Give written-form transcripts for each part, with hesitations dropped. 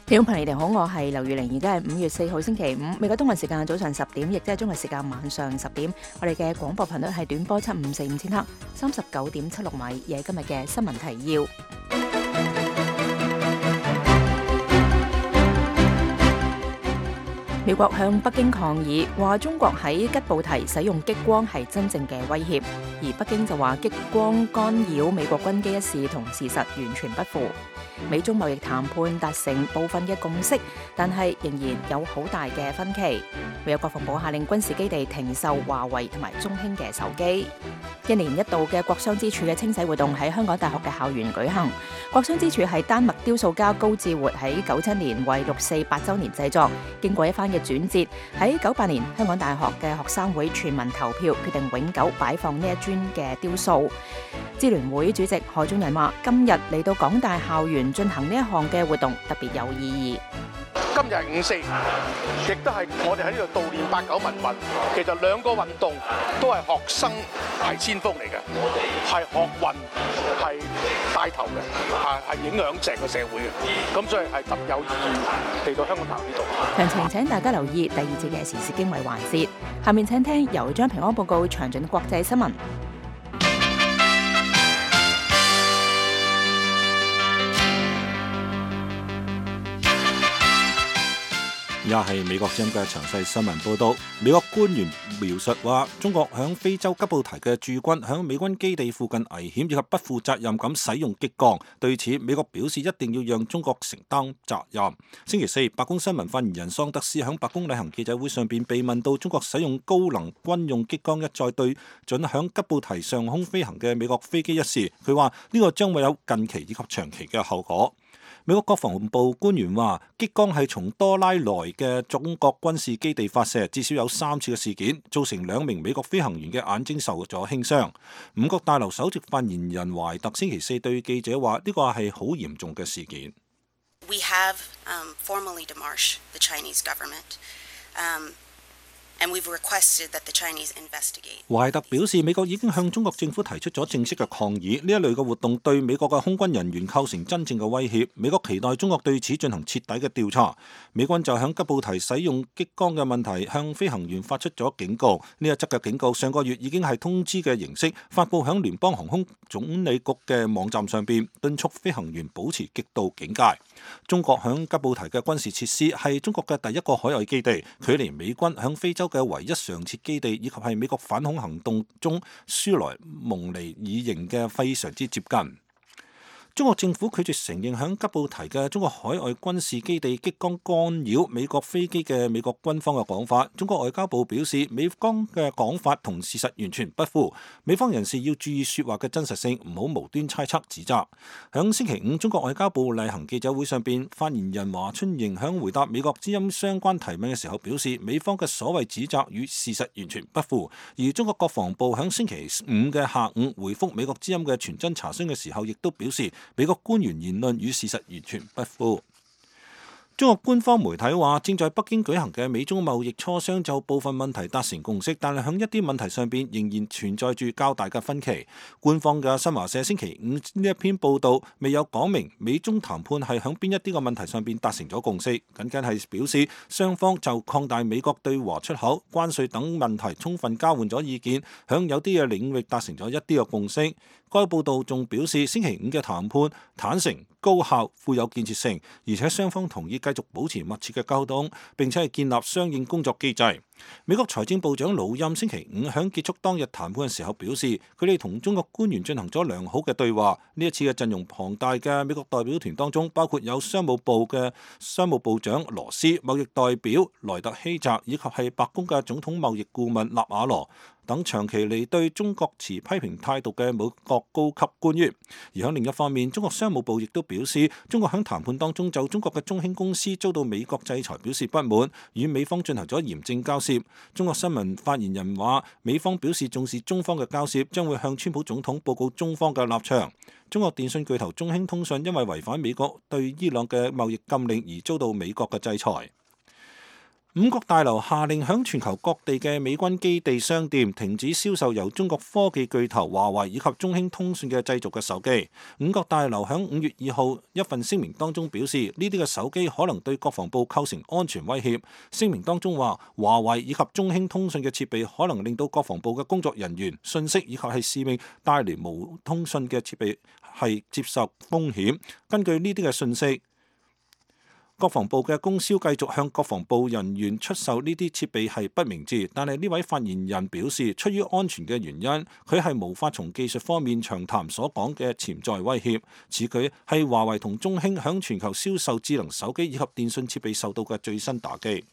聽眾朋友，你哋好，我係劉月玲，而家係5月4號星期五，美國東岸時間早上10點，亦即係中國時間晚上10點。我哋嘅廣播頻率係短波7545000赫，39.76米，而係今日嘅新聞提要。美國向北京抗議，話中國喺吉布提使用激光係真正嘅威脅，而北京就話激光干擾美國軍機一事同事實完全不符。美中貿易談判達成部分嘅共識，但係仍然有好大嘅分歧。美國國防部下令軍事基地停售華為同埋中興嘅手機。1年一度嘅國殤之柱嘅清洗活動喺香港大學嘅校園舉行。國殤之柱係丹麥雕塑家高志活喺97年為648週年製作，經過一番嘅轉折，喺98年香港大學嘅學生會全民投票決定永久擺放呢一尊嘅雕塑。支聯會主席何俊仁話：今日嚟到港大校園進行呢一項嘅活動特別有意義。今日係5·4，亦都係我哋喺呢度悼念89民運。其實兩個運動都係學生係先鋒嚟嘅，係學運係帶頭嘅，係影響成個社會嘅。咁所以係特有意義嚟到香港大學呢度。詳情請大家留意第2節嘅時事經緯環節。下面請聽由張平安報告詳盡國際新聞。而家係美國之音嘅詳細新聞報道。美國官員描述話，中國響非洲吉布提嘅駐軍響美軍基地附近危險以及不負責任咁使用激光。對此，美國表示一定要讓中國承擔責任。星期四，白宮新聞發言人桑德斯響白宮例行記者會上邊被問到中國使用高能軍用激光一再對準響吉布提上空飛行嘅美國飛機一事，佢話呢個將會有近期以及長期嘅後果。美國國防部官員話，激光係從多拉萊嘅中國軍事基地發射，至少有3次嘅事件，造成2名美國飛行員嘅眼睛受咗輕傷。五角大樓首席發言人懷特星期四對記者話，呢個係好嚴重嘅事件。We have formally demarched the Chinese government. And we've requested that the Chinese investigate. 懷特表示，美國已經向中國政府提出咗正式嘅抗議，呢一類嘅活動對美國嘅空軍人員構成真正嘅威脅。美國期待中國對此進行徹底嘅調查。美軍就響吉布提使用激光嘅問題向飛行員發出咗警告。呢一則嘅警告上個月已經係通知嘅形式發佈響聯邦航空總理局嘅網站上邊，敦促飛行員保持極度警戒。中國響吉布提嘅軍事設施係中國嘅第一個海外基地，距離美軍響非洲嘅唯一常設基地，以及係美國反恐行動中舒萊蒙尼爾營嘅非常之接近。中國政府拒絕承認響吉布提嘅中國海外軍事基地激光干擾美國飛機嘅美國軍方嘅講法。中國外交部表示，美方嘅講法同事實完全不符，美方人士要注意說話嘅真實性，唔好無端猜測指責。響星期5，中國外交部例行記者會上邊，發言人華春瑩響回答美國之音相關提問嘅時候表示，美方嘅所謂指責與事實完全不符。而中國國防部響星期5嘅下午回覆美國之音嘅傳真查詢嘅時候，亦都表示，美國官員言論與事實完全不符。中國官方媒體話，正在北京舉行嘅美中貿易磋商就部分問題達成共識，但係喺一啲問題上邊仍然存在住較大嘅分歧。官方嘅新華社星期5呢一篇報道未有講明美中談判係喺邊一啲嘅問題上邊達成咗共識，僅僅係表示雙方就擴大美國對華出口、關稅等問題充分交換咗意見，喺有啲嘅領域達成咗一啲嘅共識。該報道仲表示，星期5嘅談判坦誠、高效、富有建設性，而且雙方同意繼續保持密切嘅溝通，並且係建立相應工作機制。美國財政部長魯欽星期5喺結束當日談判嘅時候表示，佢哋同中國官員進行咗良好嘅對話。呢一次嘅陣容龐大嘅美國代表團當中，包括有商務部嘅商務部長羅斯、貿易代表萊特希澤，以及係白宮嘅總統貿易顧問納瓦羅等長期嚟對中國持批評態度嘅美國高級官員。而喺另一方面，中國商務部亦都表示，中國喺談判當中就中國嘅中興公司遭到美國制裁表示不滿，與美方進行咗嚴正交涉。中國新聞發言人話，美方表示重視中方嘅交涉，將會向川普總統報告中方嘅立場。中國電信巨頭中興通訊因為違反美國對伊朗嘅貿易禁令而遭到美國嘅制裁。五角大樓下令響全球各地嘅美軍基地商店停止銷售由中國科技巨頭華為以及中興通訊嘅製造嘅手機。五角大樓響5月2號一份聲明當中表示，呢啲嘅手機可能對國防部構成安全威脅。聲明當中話，華為以及中興通訊嘅設備可能令到國防部嘅工作人員、信息以及係使命帶嚟無通訊嘅設備係接受風險。根據呢啲嘅信息，國防部嘅供銷繼續向國防部人員出售呢啲設備係不明智，但係呢位發言人表示，出於安全嘅原因，佢係無法從技術方面詳談所講嘅潛在威脅。此舉係華為同中興響全球銷售智能手機以及電信設備受到嘅最新打擊。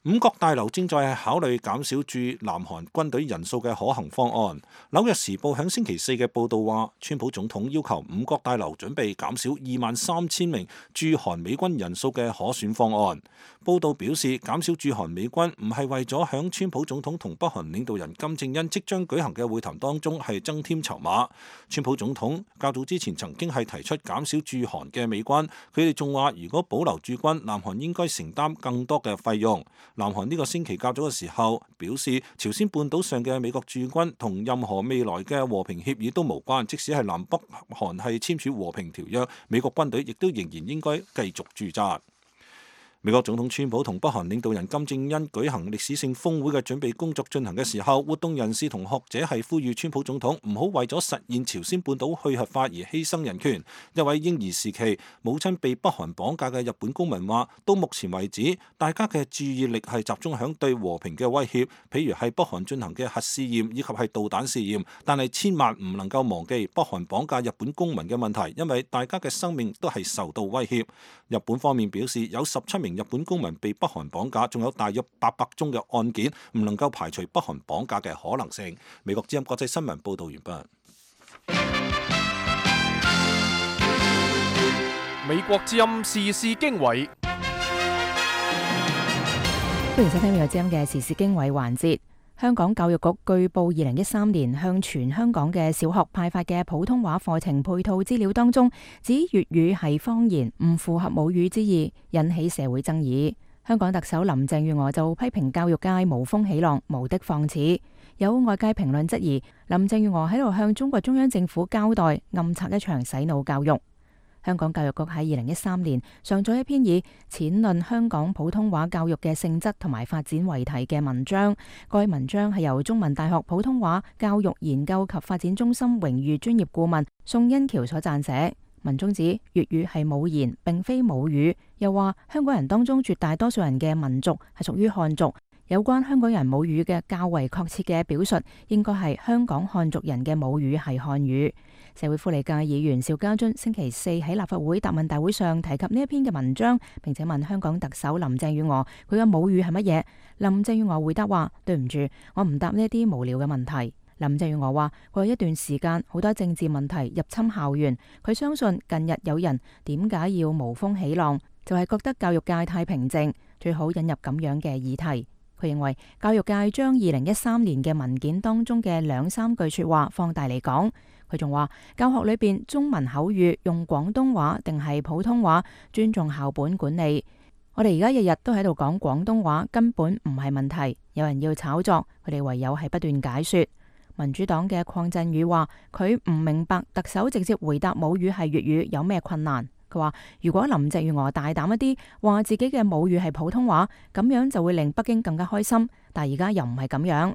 五角大樓正在考慮減少駐南韓軍隊人數嘅可行方案。紐約時報響星期4嘅報導話，川普總統要求五角大樓準備減少23,000名駐韓美軍人數嘅可選方案。報導表示，減少駐韓美軍唔係為咗響川普總統同北韓領導人金正恩即將舉行嘅會談當中係增添籌碼。川普總統較早之前曾經係提出減少駐韓嘅美軍，佢哋仲話如果保留駐軍，南韓應該承擔更多嘅費用。南韓呢個星期較早嘅時候表示，朝鮮半島上嘅美國駐軍同任何未來嘅和平協議都無關，即使係南北韓係簽署和平條約，美國軍隊亦都仍然應該繼續駐紮。美國總統川普同北韓領導人金正恩舉行歷史性峰會嘅準備工作進行嘅時候，活動人士同學者係呼籲川普總統唔好為咗實現朝鮮半島去核化而犧牲人權。一位嬰兒時期母親被北韓綁架嘅日本公民話，到目前為止，大家嘅注意力係集中響對和平嘅威脅，譬如係北韓進行嘅核試驗以及係導彈試驗，但係千萬唔能夠忘記北韓綁架日本公民嘅問題，因為大家嘅生命都係受到威脅。日本方面表示，有17名日本公民被北韓綁架，仲有大約800宗嘅案件，唔能夠排除北韓綁架嘅可能性。美國之音國際新聞報道完畢。美國之音時事經緯，歡迎收聽美國之音嘅時事經緯環節。香港教育局據報2013年向全香港嘅小學派發嘅普通話課程配套資料當中，指粵語係方言，唔符合母語之意，引起社會爭議。香港特首林鄭月娥就批評教育界無風起浪，無的放矢。有外界評論質疑林鄭月娥喺度向中國中央政府交代，暗策一場洗腦教育。香港教育局喺2013年上載一篇以淺論香港普通話教育嘅性質同埋發展為題嘅文章。該文章係由中文大學普通話教育研究及發展中心榮譽專業顧問宋欣橋所撰寫。文中指粵語係母言，並非母語，又話香港人當中絕大多數人嘅民族係屬於漢族。有關香港人母語嘅較為確切嘅表述，應該係香港漢族人嘅母語係漢語。社會福利界議員邵家臻星期4喺立法會答問大會上提及呢一篇嘅文章，並且問香港特首林鄭月娥佢嘅母語係乜嘢。林鄭月娥回答話：對唔住，我唔答呢一啲無聊嘅問題。林鄭月娥話：過去一段時間好多政治問題入侵校園，佢相信近日有人點解要無風起浪，就係覺得教育界太平靜，最好引入咁樣嘅議題。佢認為教育界將2013年嘅文件當中嘅2-3句說話放大嚟講。佢仲話教學裏邊中文口語用廣東話定係普通話，尊重校本管理。我哋而家日日都喺度講廣東話，根本唔係問題。有人要炒作，佢哋唯有係不斷解說。民主黨嘅鄺振宇話佢唔明白特首直接回答母語係粵語有咩困難。佢話如果林鄭月娥大膽一啲，話自己嘅母語係普通話，咁樣就會令北京更加開心。但而家又唔係咁樣。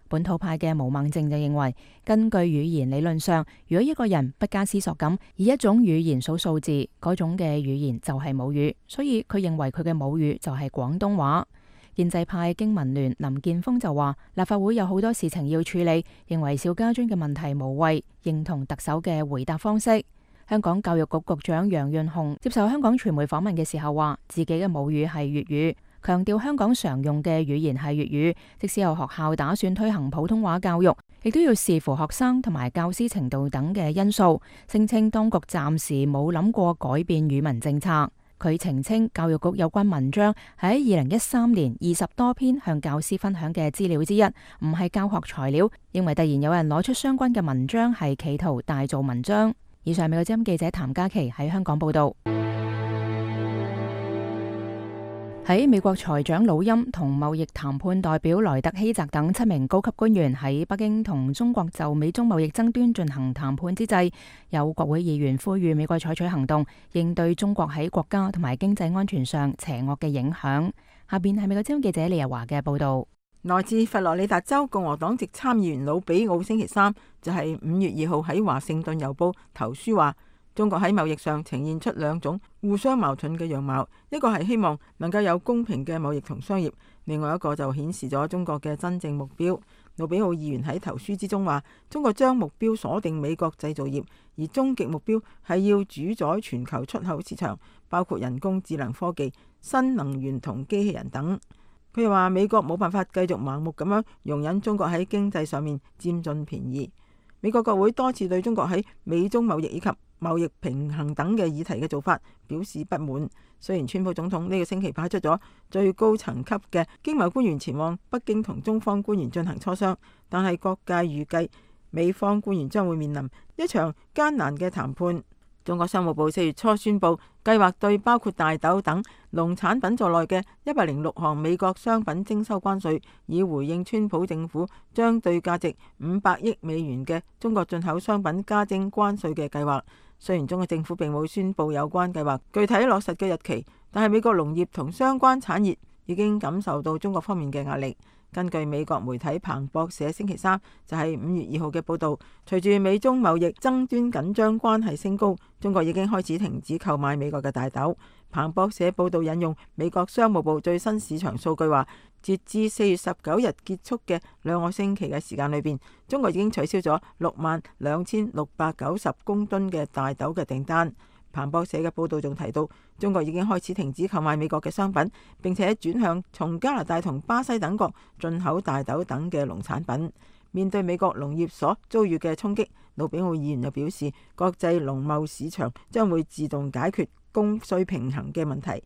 本土派嘅毛孟靜就認為，根據語言理論上，如果一個人不加思索咁以一種語言數數字，嗰種嘅語言就係母語，所以佢認為佢嘅母語就係廣東話。建制派經民聯林健鋒就話，立法會有好多事情要處理，認為邵家臻嘅問題無謂，認同特首嘅回答方式。香港教育局局長楊潤雄接受香港傳媒訪問嘅時候話，自己嘅母語係粵語，強調香港常用嘅語言係粵語，即使有學校打算推行普通話教育，亦都要視乎學生同埋教師程度等嘅因素。聲稱當局暫時冇諗過改變語文政策。佢澄清教育局有關文章喺2013年20多篇向教師分享嘅資料之一，唔係教學材料，認為突然有人攞出相關嘅文章係企圖大做文章。以上美國之音記者譚嘉琪喺香港報道。喺美國財長魯欽同貿易談判代表萊特希澤等7名高級官員喺北京同中國就美中貿易爭端進行談判之際，有國會議員呼籲美國採取行動，應對中國喺國家同埋經濟安全上邪惡嘅影響。下邊係美國之音記者李日華嘅報道。來自佛羅里達州共和黨籍參議員魯比奧星期三就係5月2號喺華盛頓郵報投書話，中國喺貿易上呈現出2種互相矛盾嘅樣貌，一個係希望能夠有公平嘅貿易同商業，另外一個就顯示咗中國嘅真正目標。魯比奧議員喺投書之中話，中國將目標鎖定美國製造業，而終極目標係要主宰全球出口市場，包括人工智能科技、新能源同機器人等。佢又話，美國冇辦法繼續盲目咁樣容忍中國喺經濟上面佔盡便宜。美國國會多次對中國喺美中貿易以及貿易平衡等嘅議題嘅做法表示不滿。雖然川普總統呢個星期派出咗最高層級嘅經貿官員前往北京同中方官員進行磋商，但係各界預計美方官員將會面臨一場艱難嘅談判。中國商務部4月初宣布，計劃對包括大豆等農產品在內嘅106項美國商品徵收關稅，以回應川普政府將對價值500億美元嘅中國進口商品加徵關稅嘅計劃。雖然中國政府並冇宣布有關計劃具體落實嘅日期，但係美國農業同相關產業已經感受到中國方面嘅壓力。根據美國媒體彭博社星期三就係5月2號嘅報導，隨住美中貿易爭端緊張關係升高，中國已經開始停止購買美國嘅大豆。彭博社報導引用美國商務部最新市場數據話，截至4月19日結束嘅2個星期嘅時間裏邊，中國已經取消咗62,690公噸嘅大豆嘅訂單。彭博社嘅報導仲提到，中國已經開始停止購買美國嘅商品，並且轉向從加拿大同巴西等國進口大豆等嘅農產品。面對美國農業所遭遇嘅衝擊，魯比奧議員又表示，國際農貿市場將會自動解決供需平衡嘅問題。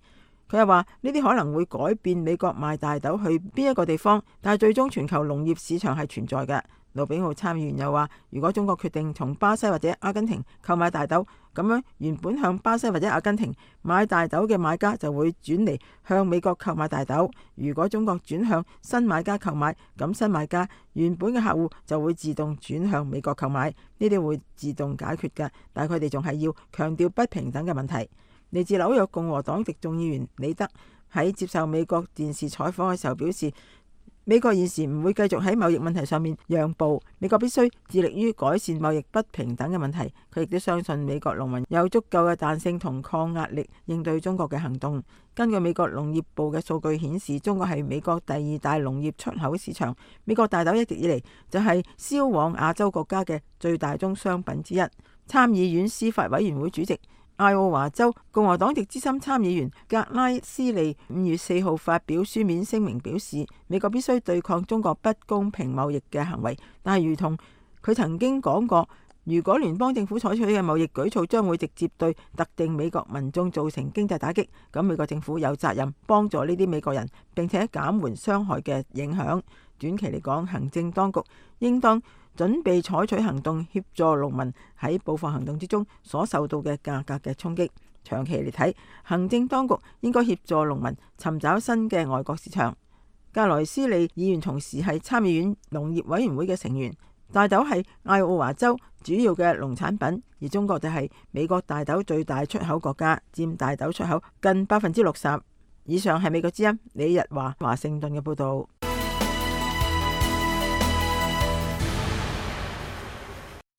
佢又話，呢啲可能會改變美國賣大豆去邊一個地方，但係最終全球農業市場係存在嘅。魯比奧參議員又話，如果中國決定從巴西或者阿根廷購買大豆，咁樣原本向巴西或者阿根廷買大豆嘅買家就會轉嚟向美國購買大豆。如果中國轉向新買家購買，咁新買家原本嘅客戶就會自動轉向美國購買，呢啲會自動解決嘅。但係佢哋仲係要強調不平等嘅問題。嚟自紐約共和黨籍眾議員李德喺接受美國電視採訪嘅時候表示，美國現時唔會繼續喺貿易問題上面讓步，美國必須致力於改善貿易不平等嘅問題。佢亦都相信美國農民有足夠嘅彈性同抗壓力應對中國嘅行動。根據美國農業部嘅數據顯示，中國係美國第2大農業出口市場。美國大豆一直以嚟就係銷往亞洲國家嘅最大宗商品之一。參議院司法委員會主席、愛奧華州共和黨籍資深參議員格拉斯利5月4號發表書面聲明表示，美國必須對抗中國不公平貿易嘅行為，但係如同佢曾經講過，如果聯邦政府採取嘅貿易舉措將會直接對特定美國民眾造成經濟打擊，咁美國政府有責任幫助呢啲美國人，並且減緩傷害嘅影響。短期嚟講，行政當局應當準備採取行動協助農民喺報復行動之中所受到嘅價格嘅衝擊。長期嚟睇，行政當局應該協助農民尋找新嘅外國市場。格萊斯利議員同時係參議院農業委員會嘅成員。大豆係愛奧華州主要嘅農產品，而中國就係美國大豆最大出口國家，佔大豆出口近60%。以上係美國之音李日華華盛頓嘅報導。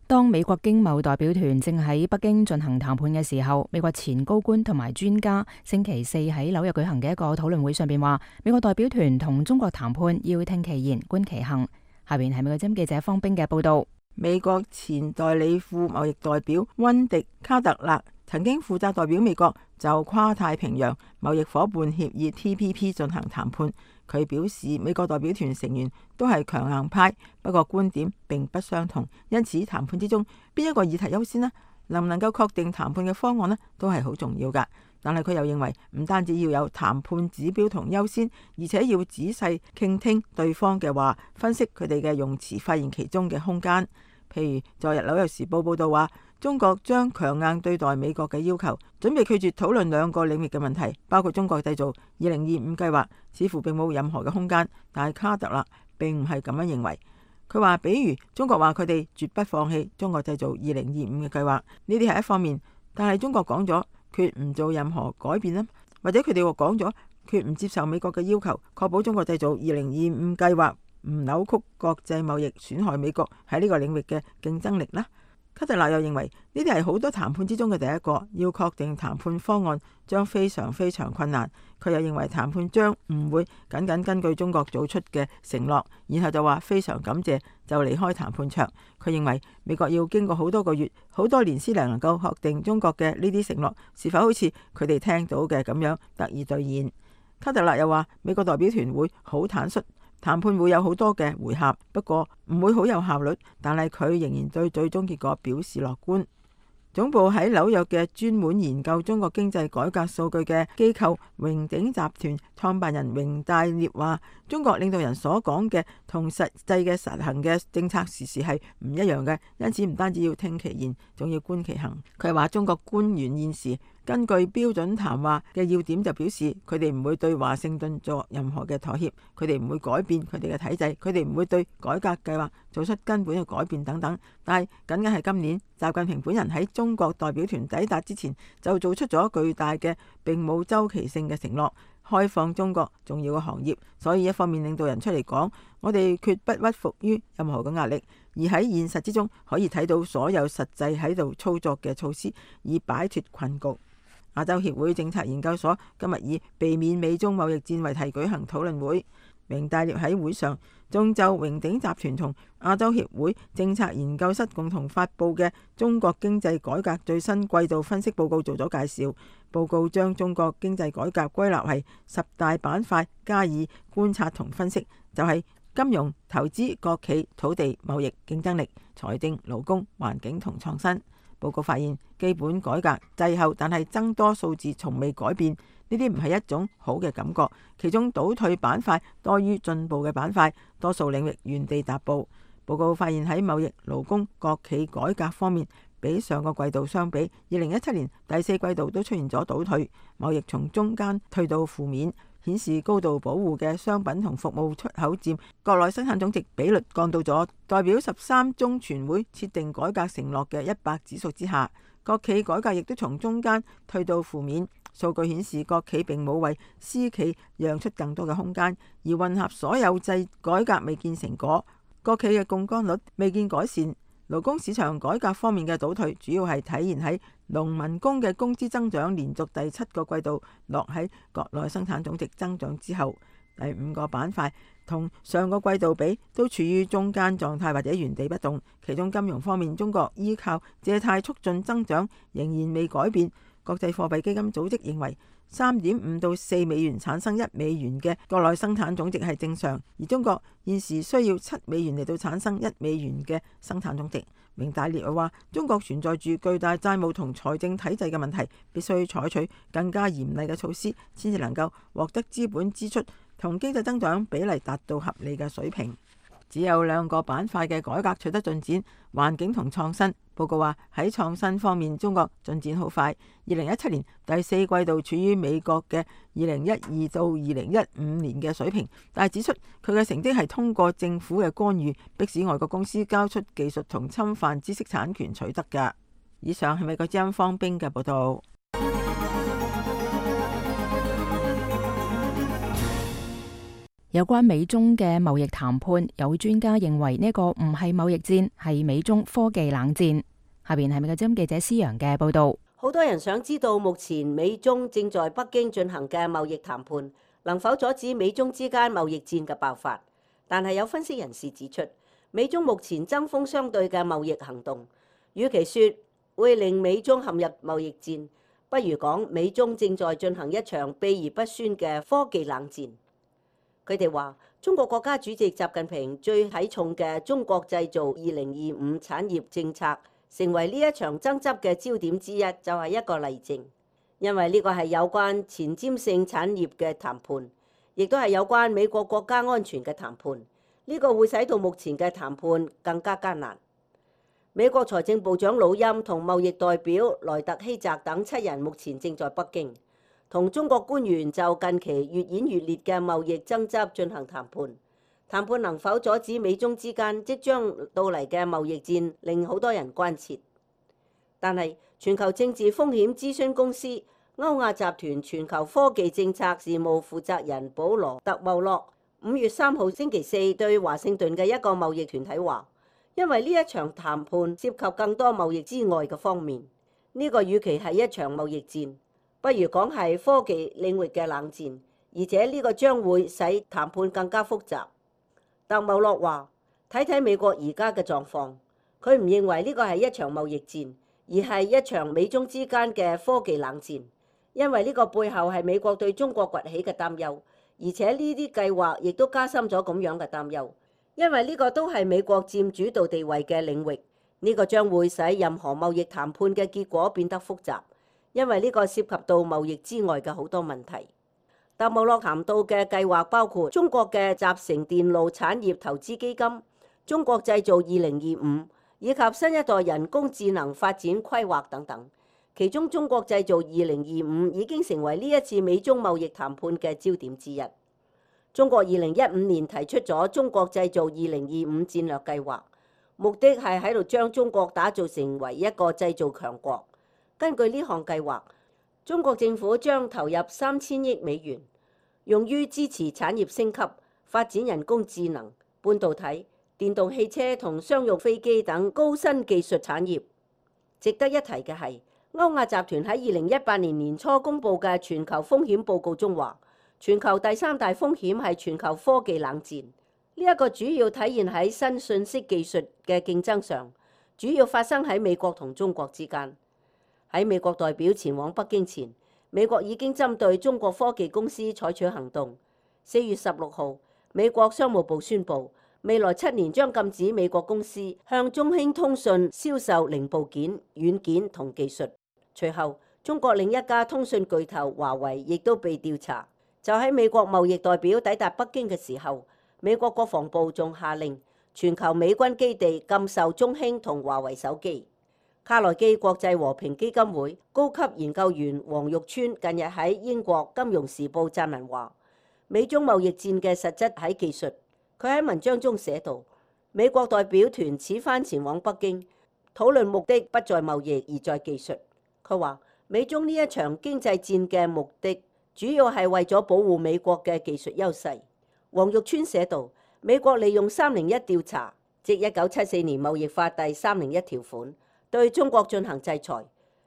當美國經貿代表團正喺北京進行談判嘅時候，美國前高官同埋專家星期四喺紐約舉行嘅一個討論會上邊話，美國代表團同中國談判要聽其言觀其行。下邊係美國之音記者方冰嘅報道。美國前代理副貿易代表溫迪卡特勒曾經負責代表美國就跨太平洋貿易夥伴協議 TPP 進行談判。佢表示，美國代表團成員都係強硬派，不過觀點並不相同，因此談判之中邊一個議題優先呢？能唔能夠確定談判嘅方案呢？都係好重要㗎。但係佢又認為，唔單止要有談判指標同優先，而且要仔細傾聽對方嘅話，分析佢哋嘅用詞，發現其中嘅空間。譬如昨日紐約時報報道話，中國將強硬對待美國嘅要求，準備拒絕討論兩個領域嘅問題，包括中國製造2025計劃，似乎並冇任何嘅空間。但係卡特勒並唔係咁樣認為。佢話，比如中國話佢哋絕不放棄中國製造2025嘅計劃，呢啲係一方面，但係中國講咗決唔做任何改變啦，或者佢哋話講咗決唔接受美國嘅要求，確保中國製造2025計劃唔扭曲國際貿易，損害美國喺呢個領域嘅競爭力啦。卡特勒又認為呢啲係好多談判之中嘅第一個，要確定談判方案將非常非常困難。佢又認為談判將唔會僅僅根據中國做出嘅承諾，然後就話非常感謝就離開談判桌。佢認為美國要經過好多個月、好多年先能夠確定中國嘅呢啲承諾是否好似佢哋聽到嘅咁樣得以兌現。卡特勒又話美國代表團會好坦率，談判會有好多嘅回合，不過唔會好有效率，但係佢仍然對最終結果表示樂觀。總部喺紐約嘅專門研究中國經濟改革數據嘅機構榮鼎集團創辦人榮大烈話，中國領導人所講嘅同實際嘅實行嘅政策時時係唔一樣嘅，因此唔單止要聽其言，仲要觀其行。佢話中國官員現時根據標準談話嘅要點就表示，佢哋唔會對華盛頓作任何嘅妥協，佢哋唔會改變佢哋嘅體制，佢哋唔會對改革計劃做出根本嘅改變等等。但係僅僅係今年，習近平本人喺中國代表團抵達之前就做出咗巨大嘅並冇周期性嘅承諾，開放中國重要嘅行業。所以一方面領導人出嚟講，我哋決不屈服於任何嘅壓力，而喺現實之中可以睇到所有實際喺度操作嘅措施，以擺脫困局。亞洲協會政策研究所今日以避免美中貿易戰為題舉行討論會，榮大烈喺會上仲就榮鼎集團同亞洲協會政策研究室共同發佈嘅中國經濟改革最新季度分析報告做咗介紹。報告將中國經濟改革歸納為10大板塊加以觀察同分析，就係金融、投資、國企、土地、貿易、競爭力、財政、勞工、環境同創新。報告發現，基本改革滯後，但係增多數字從未改變，呢啲唔係一種好嘅感覺。其中倒退板塊多於進步嘅板塊，多數領域原地踏步。報告發現喺貿易、勞工、國企改革方面，比上個季度相比，2017年第4季度都出現咗倒退，貿易從中間退到負面，顯示高度保護嘅商品同服務出口佔國內生產總值比率降到咗代表13中全會設定改革承諾嘅100指數之下。國企改革亦都從中間退到負面，數據顯示國企並冇為私企讓出更多嘅空間，而混合所有制改革未見成果，國企嘅槓桿率未見改善。勞工市場改革方面嘅倒退，主要係體現喺農民工嘅工資增長連續第7個季度落喺國內生產總值增長之後。第5個板塊同上個季度比都處於中間狀態或者原地不動。其中金融方面，中國依靠借貸促進增長仍然未改變。國際貨幣基金組織認為3.5到4美元產生1美元嘅國內生產總值係正常，而中國現時需要7美元嚟到產生1美元嘅生產總值。榮大烈話，中國存在住巨大債務同財政體制嘅問題，必須採取更加嚴厲嘅措施，先至能夠獲得資本支出同經濟增長比例達到合理嘅水平。只有2個板塊嘅改革取得進展，環境同創新。報告話喺創新方面，中國進展好快。2017年第4季度處於美國嘅2012到2015年嘅水平，但係指出佢嘅成績係通過政府嘅干預，迫使外國公司交出技術同侵犯知識產權取得㗎。以上係美國之音方冰嘅報道。有關美中嘅貿易談判，有專家認為呢個唔係貿易戰，係美中科技冷戰。下邊係美國之音記者施陽嘅報道。好多人想知道目前美中正在北京進行嘅貿易談判能否阻止美中之間貿易戰嘅爆發，但係有分析人士指出，美中目前針鋒相對嘅貿易行動，與其說會令美中陷入貿易戰，不如講美中正在進行一場秘而不宣嘅科技冷戰。佢哋話，中國國家主席習近平最睇重嘅中國製造2025產業政策，成為呢一場爭執嘅焦點之一，就係一個例證。因為呢個係有關前瞻性產業嘅談判，亦都係有關美國國家安全嘅談判。呢個會使到目前嘅談判更加艱難。美國財政部長魯欽同貿易代表萊特希澤等7人目前正在北京，同中國官員就近期越演越烈嘅貿易爭執進行談判。談判能否阻止美中之間即將到嚟嘅貿易戰，令好多人關切。但係全球政治風險諮詢公司歐亞集團全球科技政策事務負責人保羅特茂洛5月3號星期四對華盛頓嘅一個貿易團體話，因為呢一場談判涉及更多貿易之外嘅方面，呢個與其係一場貿易戰，不如講係科技領域嘅冷戰，而且呢個將會使談判更加複雜。特茂洛話：睇睇美國而家嘅狀況，佢唔認為呢個係一場貿易戰，而係一場美中之間嘅科技冷戰，因為呢個背後係美國對中國崛起嘅擔憂，而且呢啲計劃亦都加深咗咁樣嘅擔憂，因為呢個都係美國佔主導地位嘅領域，呢個將會使任何貿易談判嘅結果變得複雜，因為呢個涉及到貿易之外嘅好多問題。特茂洛談到嘅計劃包括中國嘅集成電路產業投資基金、中國製造2025以及新一代人工智能發展規劃等等。其中中國製造2025已經成為呢一次美中貿易談判嘅焦點之一。中國2015年提出咗中國製造2025戰略計劃，目的係喺度將中國打造成為一個製造強國。根據呢項計劃，中國政府將投入3000億美元，用於支持產業升級、發展人工智能、半導體、電動汽車同商用飛機等高新技術產業。值得一提嘅係，歐亞集團喺2018年年初公佈嘅全球風險報告中話，全球第3大風險係全球科技冷戰。呢一個主要體現喺新信息技術嘅競爭上，主要發生喺美國同中國之間。喺美國代表前往北京前，美國已經針對中國科技公司採取行動。4月16號，美國商務部宣布，未來7年將禁止美國公司向中興通訊銷售零部件、軟件同技術。隨後，中國另一家通訊巨頭華為亦都被調查。就喺美國貿易代表抵達北京嘅時候，美國國防部仲下令全球美軍基地禁售中興同華為手機。卡內基國際和平基金會高級研究員黃玉川近日喺英國《金融時報》撰文話，美中貿易戰嘅實質喺技術。佢喺文章中寫道，美國代表團此番前往北京，討論目的不在貿易而在技術。佢話美中呢一場經濟戰嘅目的主要係為咗保護美國嘅技術優勢。黃玉川寫道，美國利用301調查，即1974年貿易法第301條款，對中國進行制裁。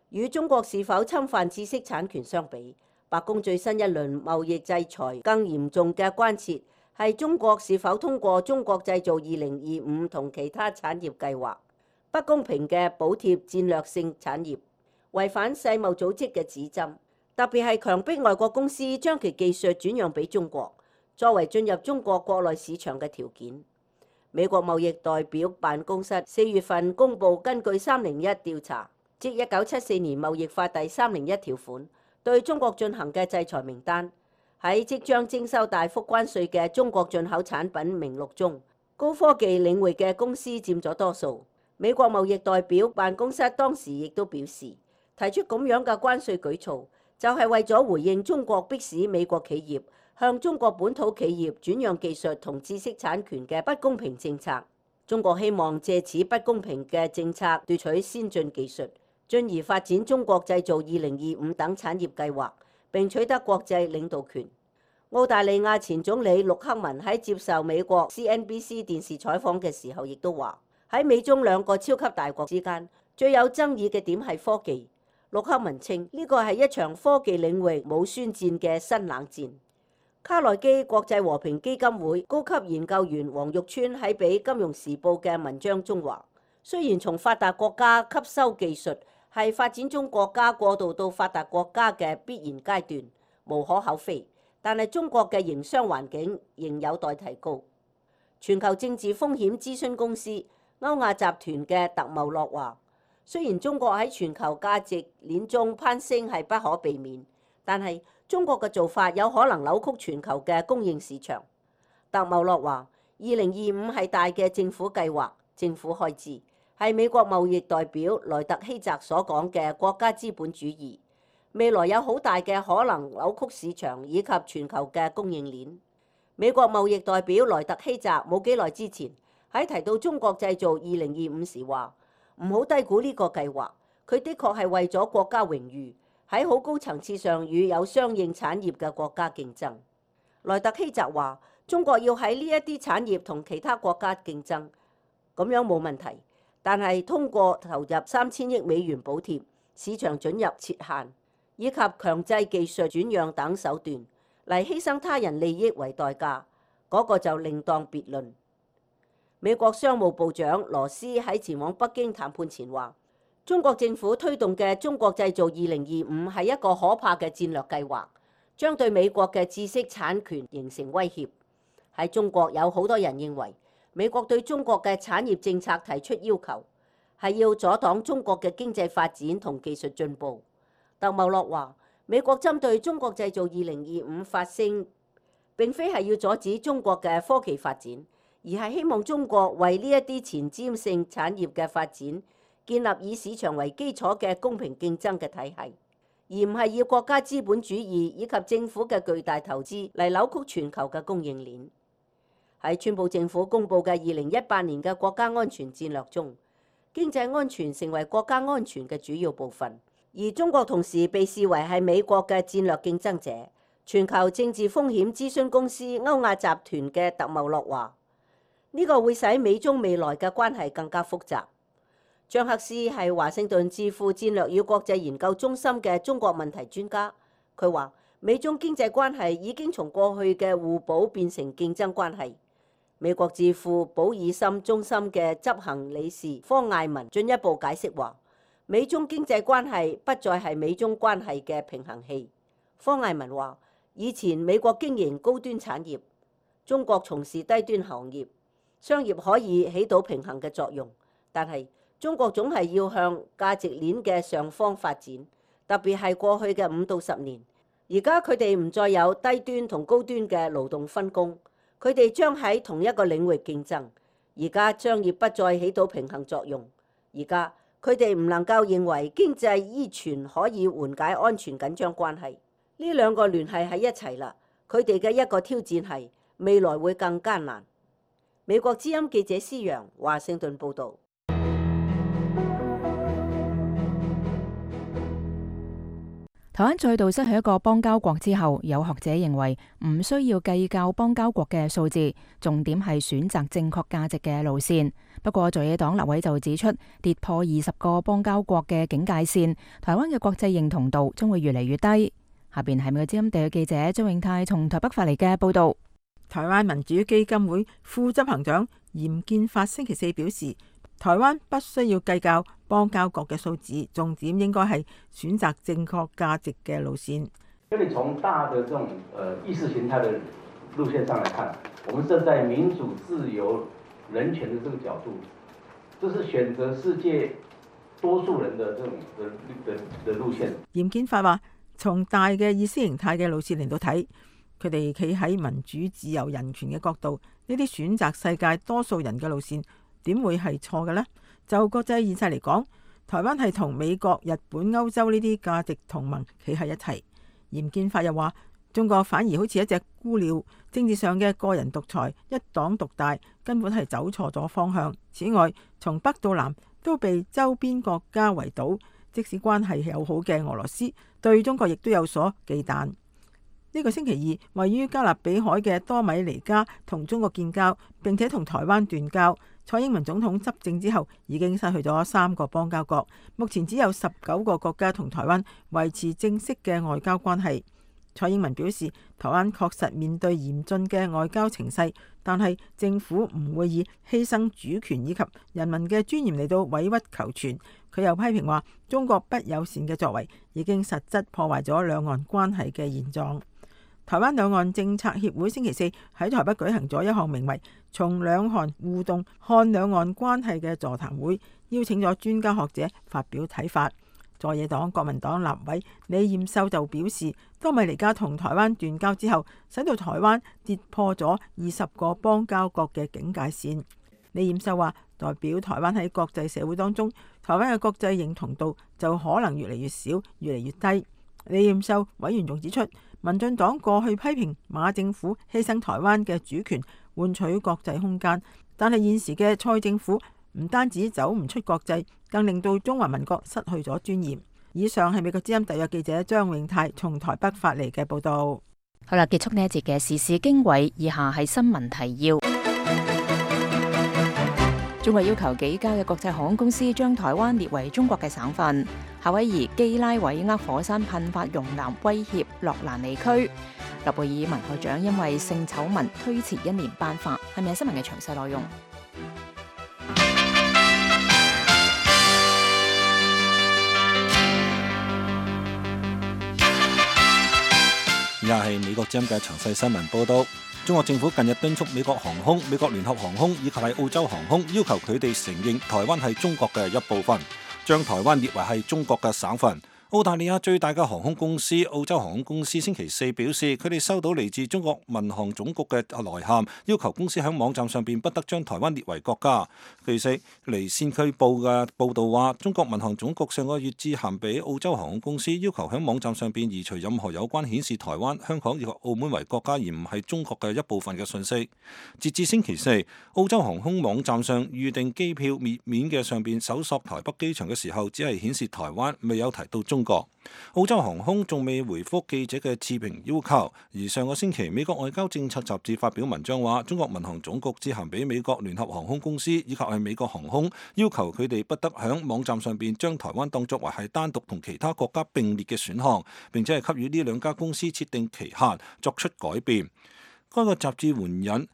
與中國是否侵犯知識產權相比，白宮最新一輪貿易制裁更嚴重嘅關切係中國是否通過中國製造2025同其他產業計劃，不公平嘅補貼戰略性產業，違反世貿組織嘅指針，特別係強迫外國公司將其技術轉讓俾中國，作為進入中國國內市場嘅條件。美國貿易代表辦公室4月份公佈根據301調查，即1974年貿易法第301條款，對中國進行嘅制裁名單。喺即將徵收大幅關稅嘅中國進口產品名錄中，高科技領域嘅公司佔咗多數。美國貿易代表辦公室當時亦都表示，提出咁樣嘅關稅舉措，就係為咗回應中國迫使美國企業向中國本土企業轉讓技術同知識產權嘅不公平政策。中國希望借此不公平嘅政策奪取先進技術，進而發展中國製造2025等產業計劃，並取得國際領導權。澳大利亞前總理陸克文喺接受美國 CNBC 電視採訪嘅時候，亦都話喺美中兩個超級大國之間，最有爭議嘅點係科技。陸克文稱呢個係一場科技領域冇宣戰嘅新冷戰。卡內基國際和平基金會高級研究員黃玉川喺俾《金融時報》嘅文章中話，雖然從發達國家吸收技術係發展中國家過渡到發達國家嘅必然階段，無可厚非，但係中國嘅營商環境仍有待提高。全球政治風險諮詢公司歐亞集團嘅特茂洛話，雖然中國喺全球價值鏈中攀升係不可避免，但係中國嘅做法有可能扭曲全球嘅供應市場。特茂洛話，2025係大嘅政府計劃、政府開支，係美國貿易代表萊特希澤所講嘅國家資本主義，未來有好大嘅可能扭曲市場以及全球嘅供應鏈。美國貿易代表萊特希澤冇幾耐之前喺提到中國製造2025時話，唔好低估呢個計劃，佢的確係為咗國家榮譽，喺好高層次上與有相應產業嘅國家競爭。萊特希澤話，中國要喺呢一啲產業同其他國家競爭，咁樣冇問題，但係通過投入3000億美元補貼、市場准入設限以及強制技術轉讓等手段嚟犧牲他人利益為代價，嗰個就另當別論。美國商務部長羅斯喺前往北京談判前話，中國政府推動嘅中國製造2025係一個可怕嘅戰略計劃，將對美國嘅知識產權形成威脅。喺中國有好多人認為，美國對中國嘅產業政策提出要求，係要阻擋中國嘅經濟發展同技術進步。特茂洛話，美國針對中國製造2025發聲，並非係要阻止中國嘅科技發展，而係希望中國為呢一啲前瞻性產業嘅發展建立以市場為基礎嘅公平競爭嘅體系，而唔係要國家資本主義以及政府嘅巨大投資嚟扭曲全球嘅供應鏈。喺川普政府公布嘅2018年嘅國家安全戰略中，經濟安全成為國家安全嘅主要部分，而中國同時被視為係美國嘅戰略競爭者。全球政治風險諮詢公司歐亞集團嘅特茂洛話，呢個會使美中未來嘅關係更加複雜。張克斯係華盛頓智庫戰略與國際研究中心嘅中國問題專家，佢話美中經濟關係已經從過去嘅互補變成競爭關係。美國智庫保爾森中心嘅執行理事方艾文進一步解釋話，美中經濟關係不再係美中關係嘅平衡器。方艾文話，以前美國經營高端產業，中國從事低端行業，商業可以起到平衡嘅作用，但係中國總係要向價值鏈嘅上方發展，特別係過去嘅5到10年。而家佢哋唔再有低端同高端嘅勞動分工，佢哋將喺同一個領域競爭。而家商業不再起到平衡作用，而家佢哋唔能夠認為經濟依存可以緩解安全緊張關係。呢兩個聯繫喺一齊啦，佢哋嘅一個挑戰係未來會更艱難。美國之音記者施揚華盛頓報導。台灣再度失去一個邦交國之後，有學者認為唔需要計較邦交國嘅數字，重點係選擇正確價值嘅路線。不過在野黨立委就指出，跌破20個邦交國嘅警戒線，台灣嘅國際認同度將會越嚟越低。下邊係美國之音地記者張永泰從台北發嚟嘅報導。台灣民主基金會副執行長嚴建發星期四表示，台灣不需要計較邦交國嘅數字，重點應該係選擇正確價值嘅路線。因為從大的這種意識形態的路線上來看，我們站在民主、自由、人權的這個角度，這是選擇世界多數人的這種的路線。嚴建發話，從大嘅意識形態嘅路線嚟到睇，佢哋企喺民主、自由、人權嘅角度，呢啲選擇世界多數人嘅路線，點會係錯嘅呢？就國際現實嚟講，台灣係同美國、日本、歐洲呢啲價值同盟企喺一齊。嚴建發又話，中國反而好似一隻孤鳥，政治上嘅個人獨裁、一黨獨大，根本係走錯咗方向。此外，從北到南都被周邊國家圍堵，即使關係友好嘅俄羅斯，對中國亦都有所忌憚。呢個星期二，位於加勒比海嘅多米尼加同中國建交，並且同台灣斷交。蔡英文總統執政之後，已經失去咗3個邦交國，目前只有19個國家同台灣維持正式嘅外交關係。蔡英文表示，台灣確實面對嚴峻嘅外交情勢，但係政府唔會以犧牲主權以及人民嘅尊嚴嚟到委曲求全。佢又批評話，中國不友善嘅作為已經實質破壞咗兩岸關係嘅現狀。台灣兩岸政策協會星期四喺台北舉行咗一項名為《從兩韓互動看兩岸關係》嘅座談會，邀請咗專家學者發表睇法。在野黨國民黨立委李彥秀就表示，多米尼加同台灣斷交之後，使到台灣跌破咗20個邦交國嘅警戒線。李冉秀話：代表台灣喺國際社會當中，台灣嘅國際認同度就可能越嚟越少，越嚟越低。李冉秀委員仲指出，民進黨過去批評馬政府犧牲台灣嘅主權換取國際空間，但係現時嘅蔡政府唔單止走唔出國際，更令到中華民國失去咗尊嚴。以上係美國之音特約記者張永泰從台北發嚟嘅報道。好啦，結束呢一節嘅時事經緯，以下係新聞提要。中國要求幾家嘅國際航空公司將台灣列為中國嘅省份。夏威夷基拉韋厄火山噴發熔岩威脅洛蘭尼區。諾貝爾文學獎因為性醜聞推遲1年頒發。係咪新聞嘅詳細內容？以下係美國之音嘅詳細新聞報道。中國政府近日敦促美國航空、美國聯合航空以及係澳洲航空，要求佢哋承認台灣係中國嘅一部分，將台灣列為係中國嘅省份。澳大利亞最大嘅航空公司澳洲航空公司星期四表示，佢哋收到嚟自中國民航總局嘅來函，要求公司喺網站上邊不得將台灣列為國家。據悉，離線區報嘅報導話，中國民航總局上個月致函俾澳洲航空公司，要求喺網站上邊移除任何有關顯示台灣、香港以及澳門為國家而唔係中國嘅一部分嘅信息。截至星期四，澳洲航空網站上預訂機票頁面嘅上邊搜索台北機場嘅時候，只係顯示台灣，未有提到中國。澳洲航空仲未回覆記者嘅置評要求，而上個星期美國外交政策雜誌發表文章話，中國民航總局致函俾美國聯合航空公司以及係美國航空，要求佢哋不得響網站上邊將台灣當作為係單獨同其他國家並列嘅選項，並且係給予呢兩家公司設定期限作出改變。該個雜誌援引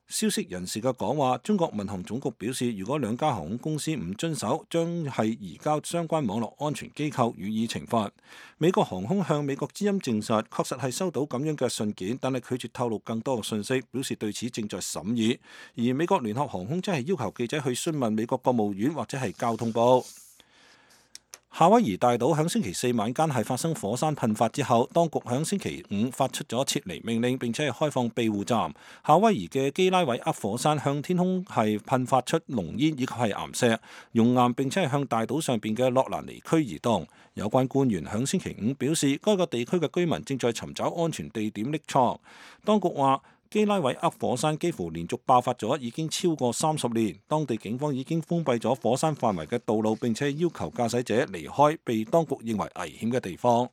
消息人士嘅講話，中國民航總局表示，如果兩家航空公司唔遵守，將係移交相關網絡安全機構予以懲罰。美國航空向美國之音證實，確實係收到咁樣嘅信件，但係拒絕透露更多嘅信息，表示對此正在審議。而美國聯合航空真係要求記者去詢問美國國務院或者係交通部。夏威夷大島響星期四晚間係發生火山噴發之後，當局響星期五發出咗撤離命令，並且係開放庇護站。夏威夷嘅基拉韋厄火山向天空係噴發出濃煙以及係岩石熔岩，並且係向大島上邊嘅洛蘭尼區移動。有關官員響星期五表示，該個地區嘅居民正在尋找安全地點匿藏。當局話，基拉韋厄火山幾乎連續爆發咗已經超過30年，當地警方已經封閉咗火山範圍嘅道路，並且要求駕駛者離開被當局認為危險嘅地方。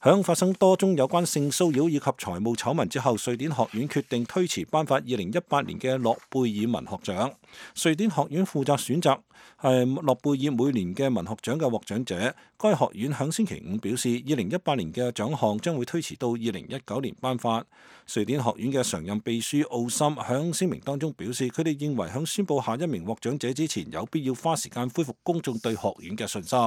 響發生多宗有關性騷擾以及財務醜聞之後，瑞典學院決定推遲頒發2018年嘅諾貝爾文學獎。瑞典學院負責選擇係諾貝爾每年嘅文學獎嘅獲獎者。該學院響星期五表示，2018年嘅獎項將會推遲到2019年頒發。瑞典學院嘅常任秘書奧森響聲明當中表示，佢哋認為響宣佈下一名獲獎者之前，有必要花時間恢復公眾對學院嘅信心。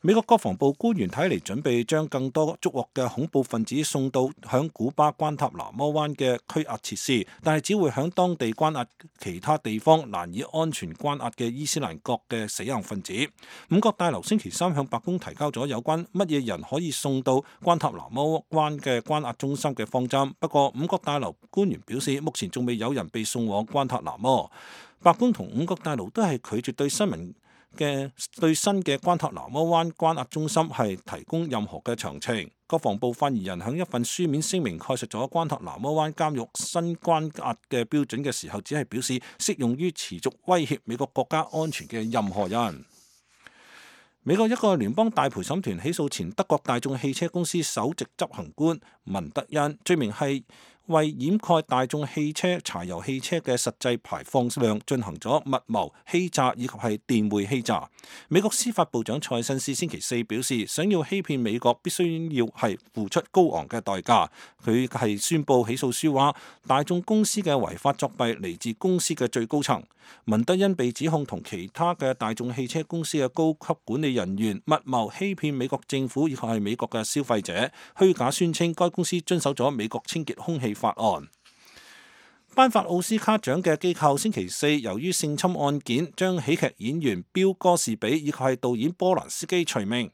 美國國防部官員睇嚟準備將更多捉獲嘅恐怖分子送到響古巴關塔那摩灣嘅拘押設施，但係只會響當地關押其他地方難以安全關押嘅伊斯蘭國嘅死硬分子。五角大樓星期三向白宮提交咗有關乜嘢人可以送到關塔那摩灣嘅關押中心嘅方針，不過五角大樓官員表示，目前仲未有人被送往關塔那摩。白宮同五角大樓都係拒絕對新嘅關塔那摩灣關押中心係提供任何嘅詳情。國防部發言人喺一份書面聲明概述咗關塔那摩灣監獄新關押嘅標準嘅時候，只係表示適用於持續威脅美國國家安全嘅任何人。美國一個聯邦大陪審團起訴前德國大眾汽車公司首席執行官文德恩，罪名係為掩蓋大眾汽車柴油汽車嘅實際排放量進行咗密謀、欺詐以及係電匯欺詐。美國司法部長蔡新斯星期四表示，想要欺騙美國必須要係付出高昂嘅代價。佢係宣布起訴書話，大眾公司嘅違法作弊嚟自公司嘅最高層。文德恩被指控同其他嘅大眾汽車公司嘅高級管理人員密謀欺騙美國政府以及係美國嘅消費者，虛假宣稱該公司遵守咗美國清潔空氣法案。頒發奧斯卡獎嘅機構星期四由於性侵案件，將喜劇演員標哥士比以及係導演波蘭斯基除名。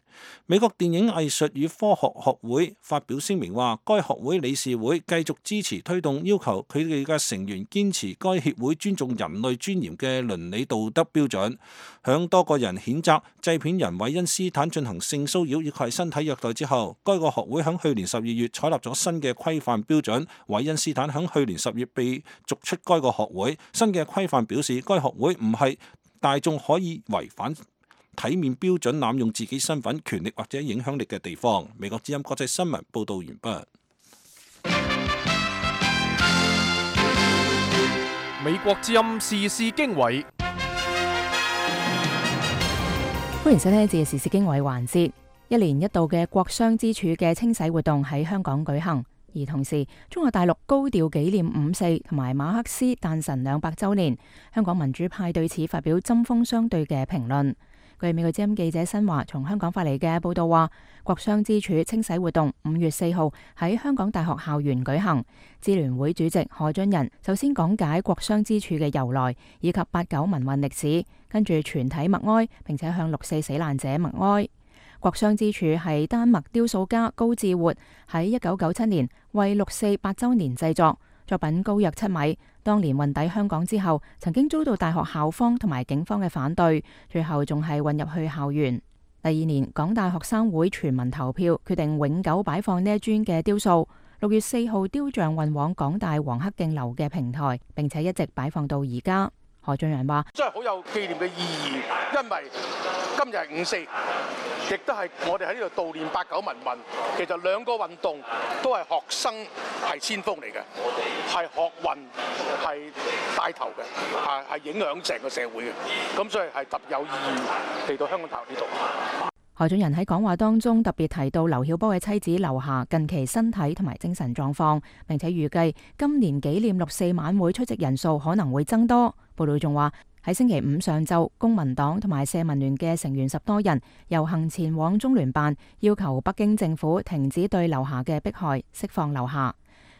美國電影藝術與科學學會發表聲明話，該學會理事會繼續支持推動要求佢哋嘅成員堅持該協會尊重人類尊嚴嘅倫理道德標準。響多個人譴責製片人韋恩斯坦進行性騷擾以及身體虐待之後，該個學會響去年12月採納咗新嘅規範標準。韋恩斯坦響去年10月被逐出該個學會。新嘅規範表示，該學會唔係大眾可以違反體面標準濫用自己身份、權力或者影響力嘅地方。美國之音國際新聞報道完畢。美國之音時事經緯，歡迎收聽呢一節嘅時事經緯環節。一年一度嘅國殤之柱嘅清洗活動喺香港舉行，而同時中國大陸高調紀念5·4同埋馬克思誕辰200週年。香港民主派對此發表針鋒相對嘅評論。據美國之音記者新華從香港發嚟嘅報道話，國殤之柱清洗活動5月4號喺香港大學校園舉行。支聯會主席何俊仁首先講解國殤之柱嘅由來以及8·9民運歷史，跟住全體默哀，並且向6·4死難者默哀。國殤之柱係丹麥雕塑家高志活喺1997年為6·4 8週年製作，作品高約7米。當年運抵香港之後，曾經遭到大學校方同埋警方嘅反對，最後仲係運入去校園。第2年，港大學生會全民投票，決定永久擺放呢一尊嘅雕塑。6月4號，雕像運往港大黃克競樓嘅平台，並且一直擺放到而家。何俊仁話：真係好有紀念嘅意義，因為今日係5·4，亦都係我哋喺呢度悼念8·9民運。其實兩個運動都係學生係先鋒嚟嘅，係學運係帶頭嘅，係影響成個社會嘅。咁所以係特別有意義嚟到香港大學呢度。何俊仁喺講話當中特別提到劉曉波嘅妻子劉霞近期身體同埋精神狀況，並且預計今年紀念6·4晚會出席人數可能會增多。報道仲話喺星期5上晝，公民黨同埋社民聯嘅成員10多人遊行前往中聯辦，要求北京政府停止對劉霞嘅迫害，釋放劉霞。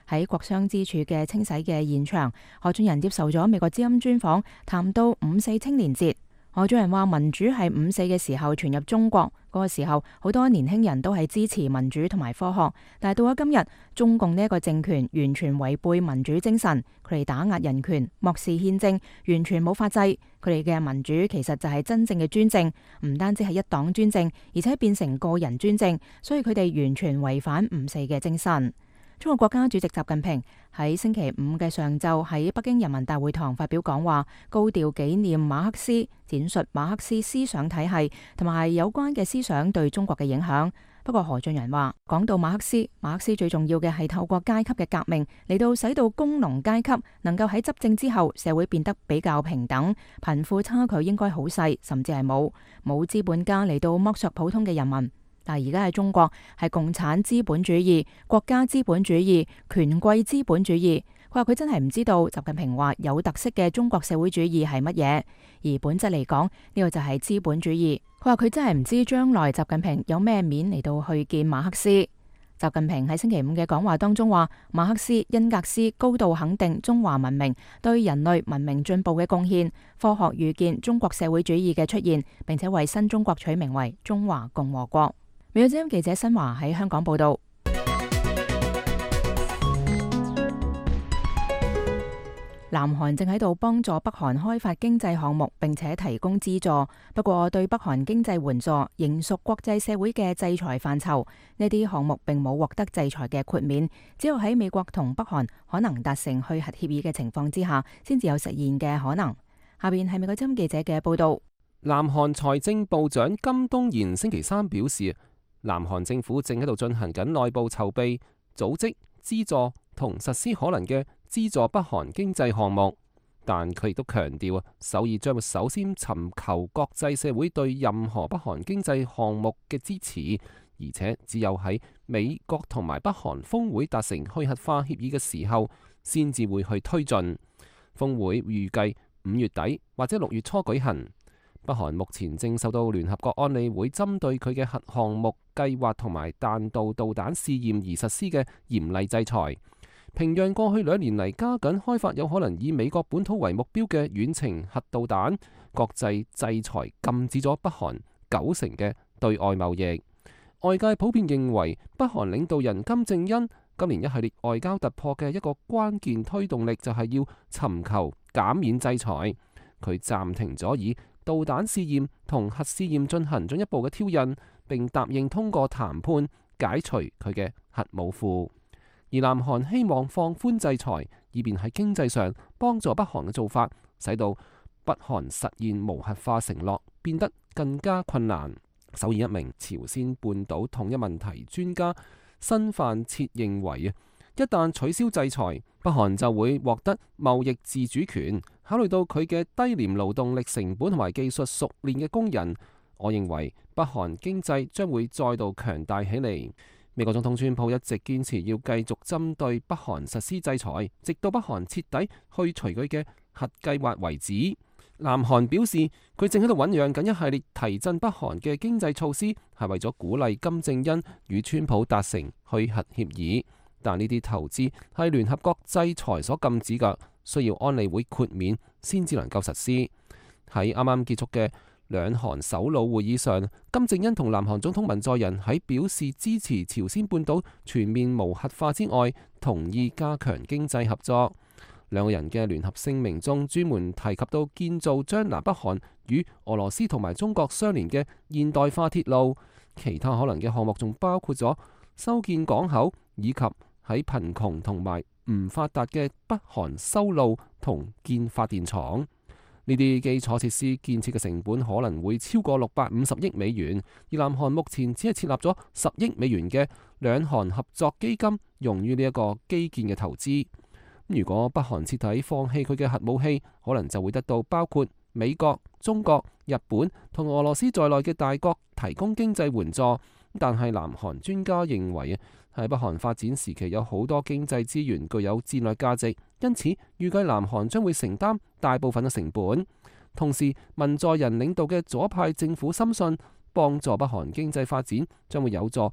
喺國殤之柱嘅清洗嘅現場，何俊仁接受咗美國之音專訪，談到5·4青年節。何俊仁話：民主係5·4嘅時候傳入中國，嗰個時候好多年輕人都係支持民主同埋科學，但係到咗今日，中共呢一個政權完全違背民主精神，佢哋打壓人權，漠視憲政，完全冇法制。佢哋嘅民主其實就係真正嘅專政，唔單止係一黨專政，而且變成個人專政，所以佢哋完全違反5·4嘅精神。中國國家主席習近平喺星期5嘅上晝喺北京人民大會堂發表講話，高調紀念馬克思，展述馬克思思想體系同埋有關嘅思想對中國嘅影響。不過何俊仁話，講到馬克思最重要嘅係透過階級嘅革命嚟到使到工農階級能夠喺執政之後社會變得比較平等，貧富差距應該好細，甚至係冇資本家嚟到剝削普通嘅人民。但係而家喺中國係共產資本主義、國家資本主義、權貴資本主義。佢話佢真係唔知道習近平話有特色嘅中國社會主義係乜嘢，而本質嚟講呢個就係資本主義。佢話佢真係唔知將來習近平有咩面嚟到去見馬克思。習近平喺星期5嘅講話當中話，馬克思、恩格斯高度肯定中華文明對人類文明進步嘅貢獻，科學預見中國社會主義嘅出現，並且為新中國取名為中華共和國。美國之音記者新華喺香港報道。南韓正喺度幫助北韓開發經濟項目，並且提供資助。不過，對北韓經濟援助仍屬國際社會嘅制裁範疇。呢啲項目並冇獲得制裁嘅豁免，只有喺美國同北韓可能達成去核協議嘅情況之下，先至有實現嘅可能。下邊係美國之音記者嘅報道。南韓財政部長金東賢星期3表示，南韓政府正喺度進行緊內部籌備、組織、資助同實施可能嘅資助北韓經濟項目，但佢亦都強調首爾將會首先尋求國際社會對任何北韓經濟項目嘅支持，而且只有喺美國同埋北韓峰會達成去核化協議嘅時候，先至會去推進。峰會預計5月底或者6月初舉行。北韓目前正受到聯合國安理會針對佢嘅核項目計劃同埋彈道導彈試驗而實施嘅嚴厲制裁。平壤過去2年嚟加緊開發有可能以美國本土為目標嘅遠程核導彈，國際制裁禁止咗北韓90%嘅對外貿易。外界普遍認為，北韓領導人金正恩今年一系列外交突破嘅一個關鍵推動力就係要尋求減免制裁。佢暫停咗以導彈試驗同核試驗進行進一步嘅挑釁，並答應通過談判解除佢嘅核武庫。而南韓希望放寬制裁，以便喺經濟上幫助北韓嘅做法，使到北韓實現無核化承諾變得更加困難。首爾一名朝鮮半島統一問題專家申範徹認為一旦取消制裁，北韓就會獲得貿易自主權。考慮到佢嘅低廉勞動力成本同埋技術熟練嘅工人，我認為北韓經濟將會再度強大起嚟。美國總統川普一直堅持要繼續針對北韓實施制裁，直到北韓徹底去除佢嘅核計劃為止。南韓表示，佢正喺度醞釀緊一系列提振北韓嘅經濟措施，係為咗鼓勵金正恩與川普達成去核協議。但呢啲投資係聯合國制裁所禁止嘅，需要安理會豁免先至能夠實施。喺啱啱結束嘅兩韓首腦會議上，金正恩同南韓總統文在寅喺表示支持朝鮮半島全面無核化之外，同意加強經濟合作。兩個人嘅聯合聲明中專門提及到建造將南北韓與俄羅斯同埋中國相連嘅現代化鐵路，其他可能嘅項目仲包括咗修建港口，以及喺貧窮同埋唔發達嘅北韓修路同建發電廠。呢啲基礎設施建設嘅成本可能會超過650億美元，而南韓目前只係設立咗10億美元嘅兩韓合作基金，用於呢一個基建嘅投資。如果北韓徹底放棄佢嘅核武器，可能就會得到包括美國、中國、日本同俄羅斯在內嘅大國提供經濟援助。但係南韓專家認為喺北韓發展時期有好多經濟資源具有戰略價值，因此預計南韓將會承擔大部分嘅成本。同時，文在寅領導嘅左派政府深信，幫助北韓經濟發展將會有助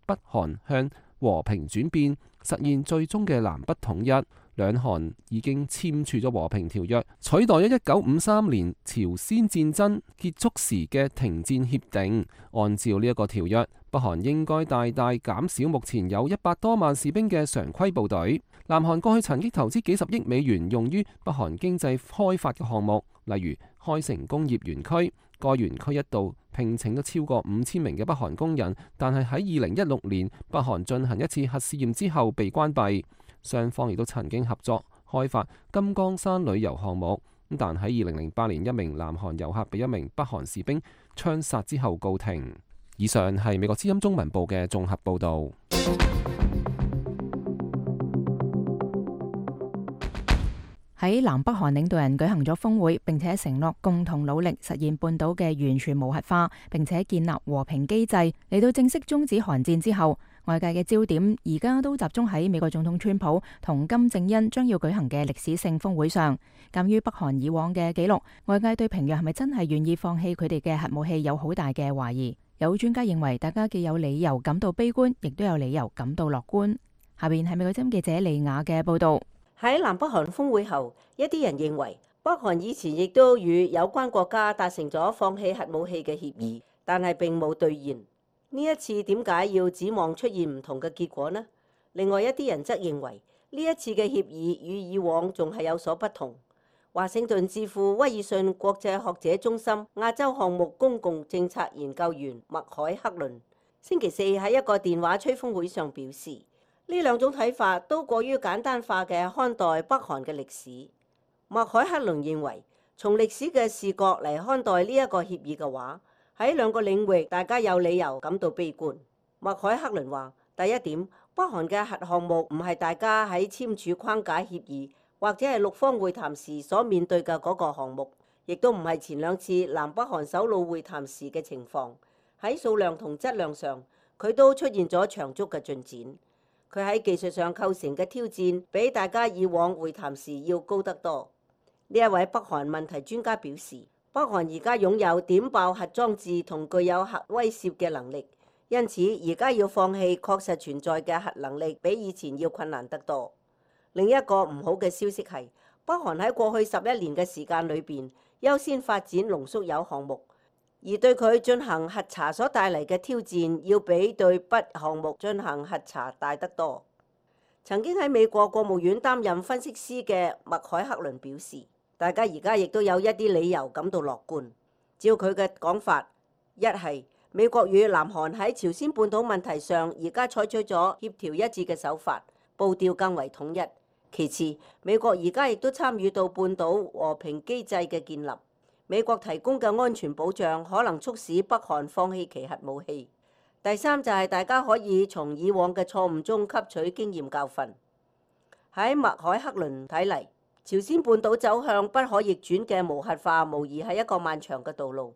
北韓向和平轉變，實現最終嘅南北統一。兩韓已經簽署咗和平條約，取代咗1953年朝鮮戰爭結束時嘅停戰協定。按照呢一個條約，北韓應該大大減少目前有100多萬士兵嘅常規部隊。南韓過去曾經投資幾十億美元用於北韓經濟開發嘅項目，例如開城工業園區。該園區一度聘請咗超過5000名嘅北韓工人，但係喺2016年北韓進行一次核試驗之後被關閉。雙方亦都曾經合作開發金剛山旅遊項目，但喺2008年一名南韓遊客被一名北韓士兵槍殺之後告停。以上係美國之音中文部嘅綜合報導。喺南北韓領導人舉行咗峰會，並且承諾共同努力實現半島嘅完全無核化，並且建立和平機制。嚟到正式終止韓戰之後，外界嘅焦點而家都集中喺美國總統川普同金正恩將要舉行嘅歷史性峰會上。鑑於北韓以往嘅記錄，外界對平壤係咪真係願意放棄佢哋嘅核武器有好大嘅懷疑。有專家認為，大家既有理由感到悲觀，亦都有理由感到樂觀。下邊係美國之音記者利雅嘅報道。喺南北韓峰會後，一啲人認為北韓以前亦都與有關國家達成咗放棄核武器嘅協議，但係並冇兌現。呢一次點解要指望出現唔同嘅結果呢？另外一啲人則認為呢一次嘅協議與以往仲係有所不同。華盛頓智庫威爾遜國際學者中心亞洲項目公共政策研究員麥凱克倫星期四喺一個電話吹風會上表示，呢兩種睇法都過於簡單化嘅看待北韓嘅歷史。麥凱克倫認為，從歷史嘅視角嚟看待呢一個協議嘅話，喺兩個領域大家有理由感到悲觀。麥凱克倫話：第一點，北韓嘅核項目唔係大家喺簽署框架協議或者係六方會談時所面對嘅嗰個項目，亦都唔係前兩次南北韓首腦會談時嘅情況。喺數量同質量上，佢都出現咗長足嘅進展。佢喺技術上構成嘅挑戰，比大家以往會談時要高得多。呢一位北韓問題專家表示，北韓而家擁有點爆核裝置同具有核威懾嘅能力，因此而家要放棄確實存在嘅核能力，比以前要困難得多。另一個唔好嘅消息係，北韓喺過去11年嘅時間裏邊，優先發展濃縮鈾項目，而對佢進行核查所帶嚟嘅挑戰，要比對北項目進行核查大得多。曾經喺美國國務院擔任分析師嘅麥凱克倫表示，大家而家亦都有一啲理由感到樂觀。照佢嘅講法，一係美國與南韓喺朝鮮半島問題上而家採取咗協調一致嘅手法，步調更為統一。其次，美國而家亦都參與到半島和平機制嘅建立。美國提供嘅安全保障可能促使北韓放棄其核武器。第三就係大家可以從以往嘅錯誤中吸取經驗教訓。喺麥凱克倫睇嚟，朝鮮半島走向不可逆轉嘅無核化，無疑係一個漫長嘅道路。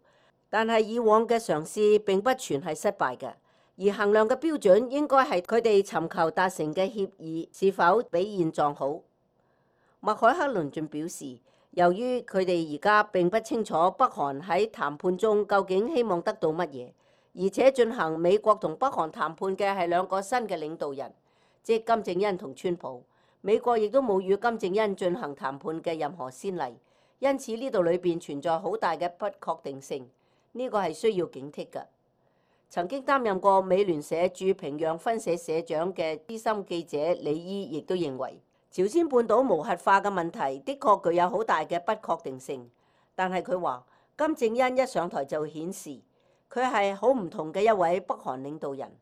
但係以往嘅嘗試並不全係失敗嘅，而衡量嘅標準應該係佢哋尋求達成嘅協議是否比現狀好。麥凱克倫仲表示，由於佢哋而家並不清楚北韓喺談判中究竟希望得到乜嘢，而且進行美國同北韓談判嘅係兩個新嘅領導人，即金正恩同川普。美國亦都冇與金正恩進行談判嘅任何先例，因此呢度裏邊存在好大嘅不確定性，呢個係需要警惕嘅。曾經擔任過美聯社駐平壤分社社長嘅資深記者李伊亦都認為，朝鮮半島無核化嘅問題的確具有好大嘅不確定性，但係佢話金正恩一上台就顯示佢係好唔同嘅一位北韓領導人。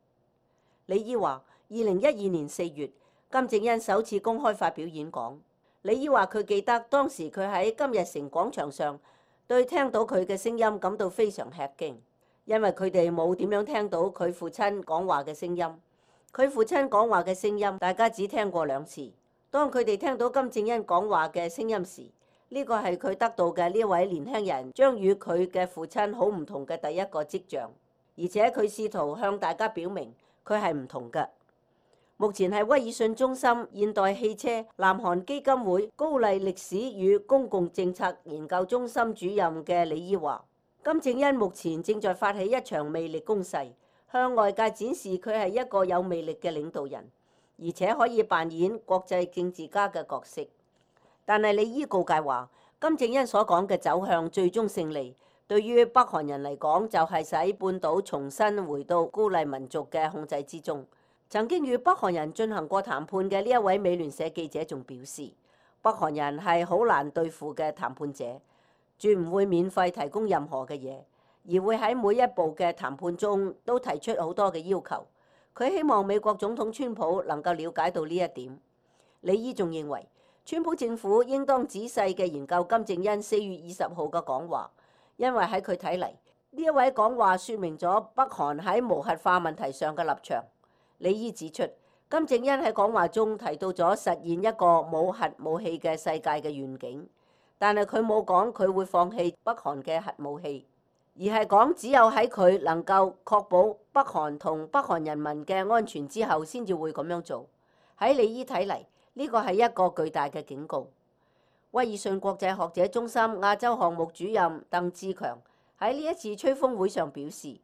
李伊話，2012年4月，金正恩首次公開發表演講。李伊話佢記得當時佢喺金日成廣場上對聽到佢嘅聲音感到非常吃驚，因為佢哋冇點樣聽到佢父親講話嘅聲音。佢父親講話嘅聲音大家只聽過2次。當佢哋聽到金正恩講話嘅聲音時，呢個係佢得到嘅呢位年輕人將與佢嘅父親好唔同嘅第一個跡象，而且佢試圖向大家表明佢係唔同嘅。目前係威爾遜中心現代汽車南韓基金會高麗歷史與公共政策研究中心主任嘅李伊話，金正恩目前正在發起一場魅力攻勢，向外界展示佢係一個有魅力嘅領導人，而且可以扮演國際政治家嘅角色。但係李伊告誡話，金正恩所講嘅走向最終勝利，對於北韓人嚟講就係使半島重新回到高麗民族嘅控制之中。曾經與北韓人進行過談判嘅呢一位美聯社記者仲表示，北韓人係好難對付嘅談判者，絕唔會免費提供任何嘅嘢，而會喺每一步嘅談判中都提出好多嘅要求。佢希望美國總統川普能夠了解到呢一點。李伊仲認為，川普政府應當仔細嘅研究金正恩4月20號嘅講話，因為喺佢睇嚟，呢一位講話説明咗北韓喺無核化問題上嘅立場。李伊指出，金正恩喺講話中提到咗實現一個冇核武器嘅世界嘅願景，但係佢冇講佢會放棄北韓嘅核武器，而係講只有喺佢能夠確保北韓同北韓人民嘅安全之後，先至會咁樣做。喺李伊睇嚟，呢個係一個巨大嘅警告。威爾遜國際學者中心亞洲項目主任鄧志強喺呢一次吹風會上表示，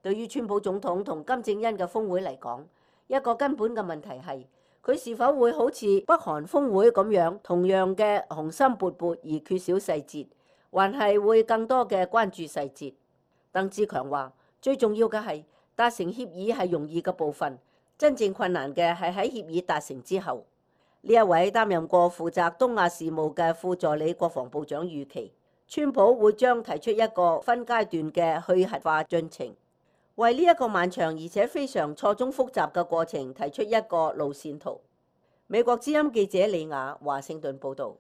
對於川普總統同金正恩嘅峰會嚟講，一個根本嘅問題係佢是否會好似北韓峰會咁樣，同樣嘅雄心勃勃而缺少細節，還係會更多嘅關注細節。鄧志強話，最重要嘅係達成協議係容易嘅部分，真正困難嘅係喺協議達成之後。呢一位擔任過負責東亞事務嘅副助理國防部長預期，川普會將提出一個分階段嘅去核化進程，為呢一個漫長而且非常錯綜複雜嘅過程提出一個路線圖。美國之音記者李雅華盛頓報導。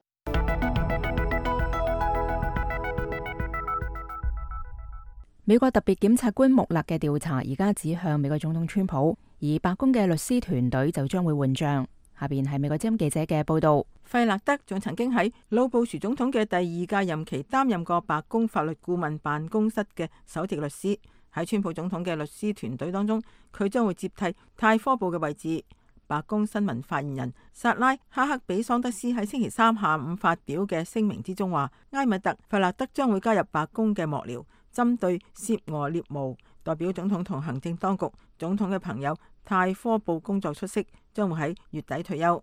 美國特別檢察官穆勒嘅調查而家指向美國總統川普，而白宮嘅律師團隊就將會換將。下邊係美國之音記者嘅報導。費勒德仲曾經喺老布殊總統嘅第2屆任期擔任過白宮法律顧問辦公室嘅首席律師。喺川普總統嘅律師團隊當中，佢將會接替泰科布嘅位置。白宮新聞發言人薩拉哈克比桑德斯喺星期3下午發表嘅聲明之中話，埃米特費勒德將會加入白宮嘅幕僚，針對涉俄獵巫，代表總統同行政當局。總統嘅朋友泰科布工作出色，將會喺月底退休。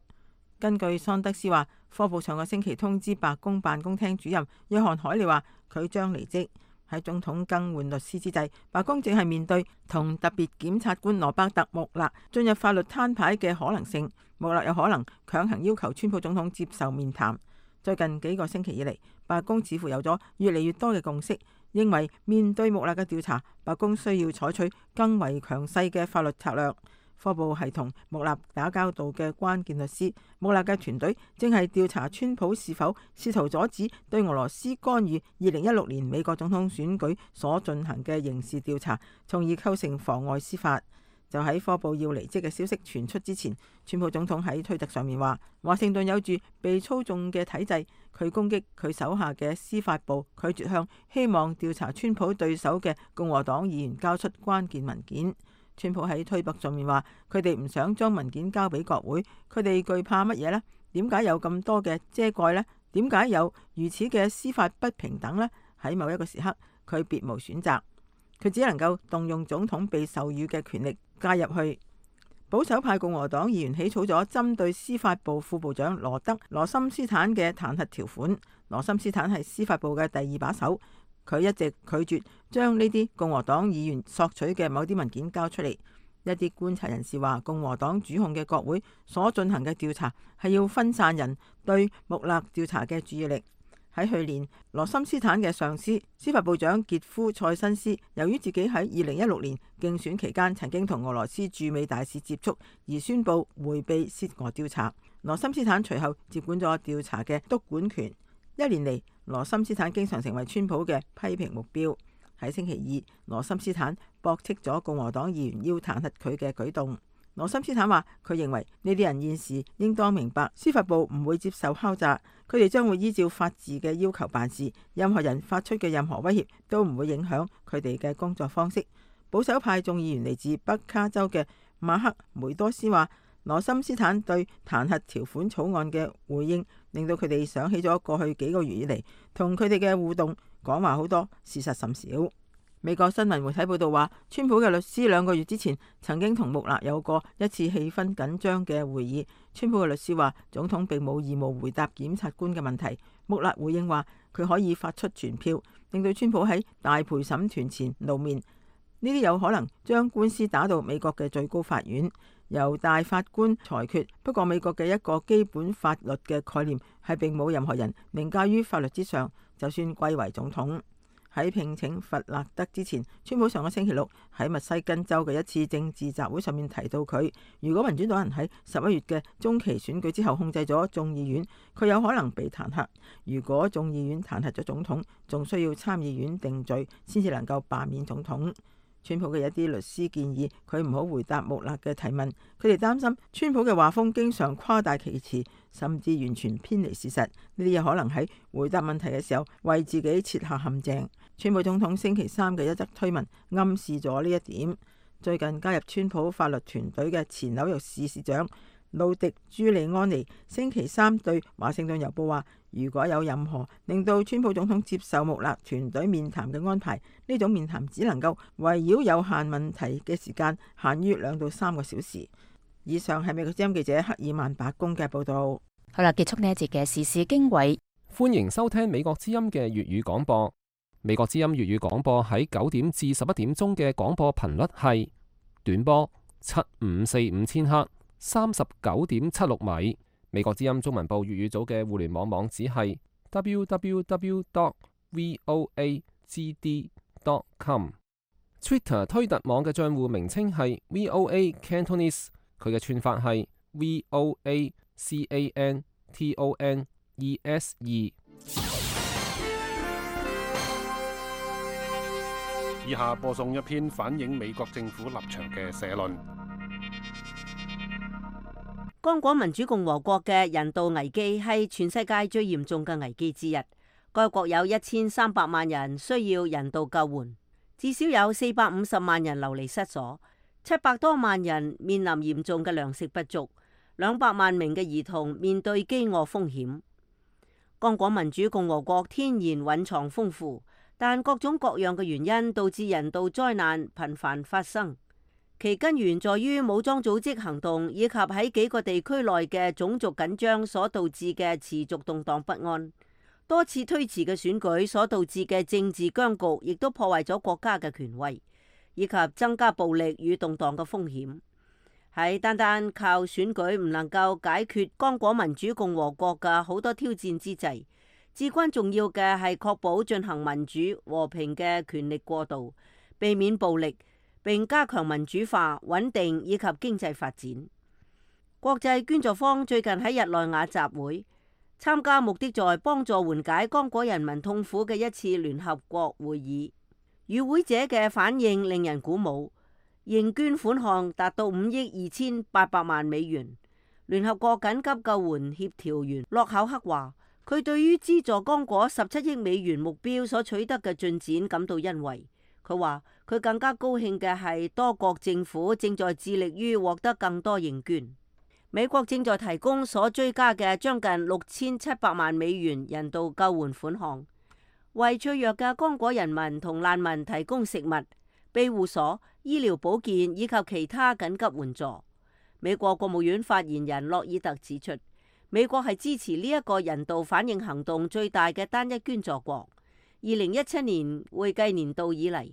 根據桑德斯話，科布上個星期通知白宮辦公廳主任約翰海利話佢將離職。喺總統更換律師之際，白宮正係面對同特別檢察官羅伯特·穆勒進入法律攤牌嘅可能性。穆勒有可能強行要求川普總統接受面談。最近幾個星期以嚟，白宮似乎有咗越嚟越多嘅共識，認為面對穆勒嘅調查，白宮需要採取更為強勢嘅法律策略。科報係同穆勒打交道嘅關鍵律師，穆勒嘅團隊正係調查川普是否試圖阻止對俄羅斯干預2016年美國總統選舉所進行嘅刑事調查，從而構成妨礙司法。就喺科報要離職嘅消息傳出之前，川普總統喺推特上面話，華盛頓有住被操縱嘅體制，佢攻擊佢手下嘅司法部，拒絕向希望調查川普對手嘅共和黨議員交出關鍵文件。川普喺推特上面話，佢哋唔想將文件交俾國會，佢哋懼怕乜嘢呢？點解有咁多嘅遮蓋呢？點解有如此嘅司法不平等呢？喺某一個時刻，佢別無選擇，佢只能夠動用總統被授予嘅權力介入去。保守派共和黨議員起草咗針對司法部副部長羅森斯坦嘅彈劾條款。羅森斯坦係司法部嘅第二把手。佢一直拒絕將呢啲共和黨議員索取嘅某啲文件交出嚟。一啲觀察人士話，共和黨主控嘅國會所進行嘅調查係要分散人對穆勒調查嘅注意力。喺去年，羅森斯坦嘅上司司法部長傑夫塞辛斯，由於自己喺2016年競選期間曾經同俄羅斯駐美大使接觸，而宣布迴避涉俄調查。羅森斯坦隨後接管咗調查嘅督管權。一年嚟，羅森斯坦經常成為川普嘅批評目標。喺星期二，羅森斯坦駁斥咗共和黨議員要彈劾佢嘅舉動。羅森斯坦話，佢認為呢啲人現時應當明白，司法部唔會接受敲詐，佢哋將會依照法治嘅要求辦事。任何人發出嘅任何威脅都唔會影響佢哋嘅工作方式。保守派眾議員嚟自北卡州嘅馬克梅多斯話，羅森斯坦對彈劾條款草案嘅回應，令到佢哋想起咗過去幾個月以嚟同佢哋嘅互動，講話好多，事實甚少。美國新聞媒體報道話，川普嘅律師2個月之前曾經同穆勒有過一次氣氛緊張嘅會議。川普嘅律師話，總統並冇義務回答檢察官嘅問題。穆勒回應話，佢可以發出傳票，令到川普喺大陪審團前露面。呢啲有可能將官司打到美國嘅最高法院，由大法官裁決。不過美國嘅一個基本法律嘅概念係並冇任何人凌駕於法律之上，就算貴為總統。喺聘請弗勒德之前，川普上個星期六喺密西根州嘅一次政治集會上面提到佢，如果民主黨人喺11月嘅中期選舉之後控制咗眾議院，佢有可能被彈劾。如果眾議院彈劾咗總統，仲需要參議院定罪先至能夠罷免總統。川普嘅一啲律師建議佢唔好回答穆勒嘅提問，佢哋擔心川普嘅話風經常誇大其詞，甚至完全偏離事實。呢啲有可能喺回答問題嘅時候為自己設下陷阱。川普總統星期三嘅一則推文暗示咗呢一點。最近加入川普法律團隊嘅前紐約市市長路迪朱利安尼星期三對華盛頓郵報話，如果有任何令到川普總統接受穆勒團隊面談嘅安排，呢種面談只能夠圍繞有限問題嘅時間，限於2到3個小時。以上係美國之音記者克爾曼白宮嘅報道。好啦，結束呢一節嘅時事經緯。歡迎收聽美國之音嘅粵語廣播。美國之音粵語廣播喺9點至11點鐘嘅廣播頻率係短波7545千赫39.76米。美國之音中文部粵語組嘅互聯網網址係 www.voagd.com。Twitter 推特網嘅賬戶名稱係 VOA Cantonese， 佢嘅串法係 VOACANTONESE。以下播送一篇反映美國政府立場嘅社論。剛果民主共和國嘅人道危機係全世界最嚴重嘅危機之一。該國有1300萬人需要人道救援，至少有450萬人流離失所，700多萬人面臨嚴重嘅糧食不足，200萬名嘅兒童面對飢餓風險。剛果民主共和國天然蘊藏豐富，但各種各樣嘅原因導致人道災難頻繁發生，其根源在於武裝組織行動以及喺幾個地區內嘅種族緊張所導致嘅持續動盪不安。多次推遲嘅選舉所導致嘅政治僵局，亦都破壞咗國家嘅權威，以及增加暴力與動盪嘅風險。喺單單靠選舉唔能夠解決剛果民主共和國嘅好多挑戰之際，至關重要嘅係確保進行民主和平嘅權力過渡，避免暴力，並加強民主化、穩定以及經濟發展。國際捐助方最近喺日內瓦集會，參加目的在幫助緩解剛果人民痛苦嘅一次聯合國會議。與會者嘅反應令人鼓舞，認捐款項達到5億2800萬美元。聯合國緊急救援協調員洛考克話，佢對於資助剛果17億美元目標所取得嘅進展感到欣慰。佢話佢更加高興嘅係多國政府正在致力於獲得更多認捐。美國正在提供所追加嘅將近6700萬美元人道救援款項，為脆弱嘅剛果人民同難民提供食物、庇護所、醫療保健以及其他緊急援助。美國國務院發言人洛爾特指出，美國係支持呢一個人道反應行動最大嘅單一捐助國。2017年會計年度以嚟，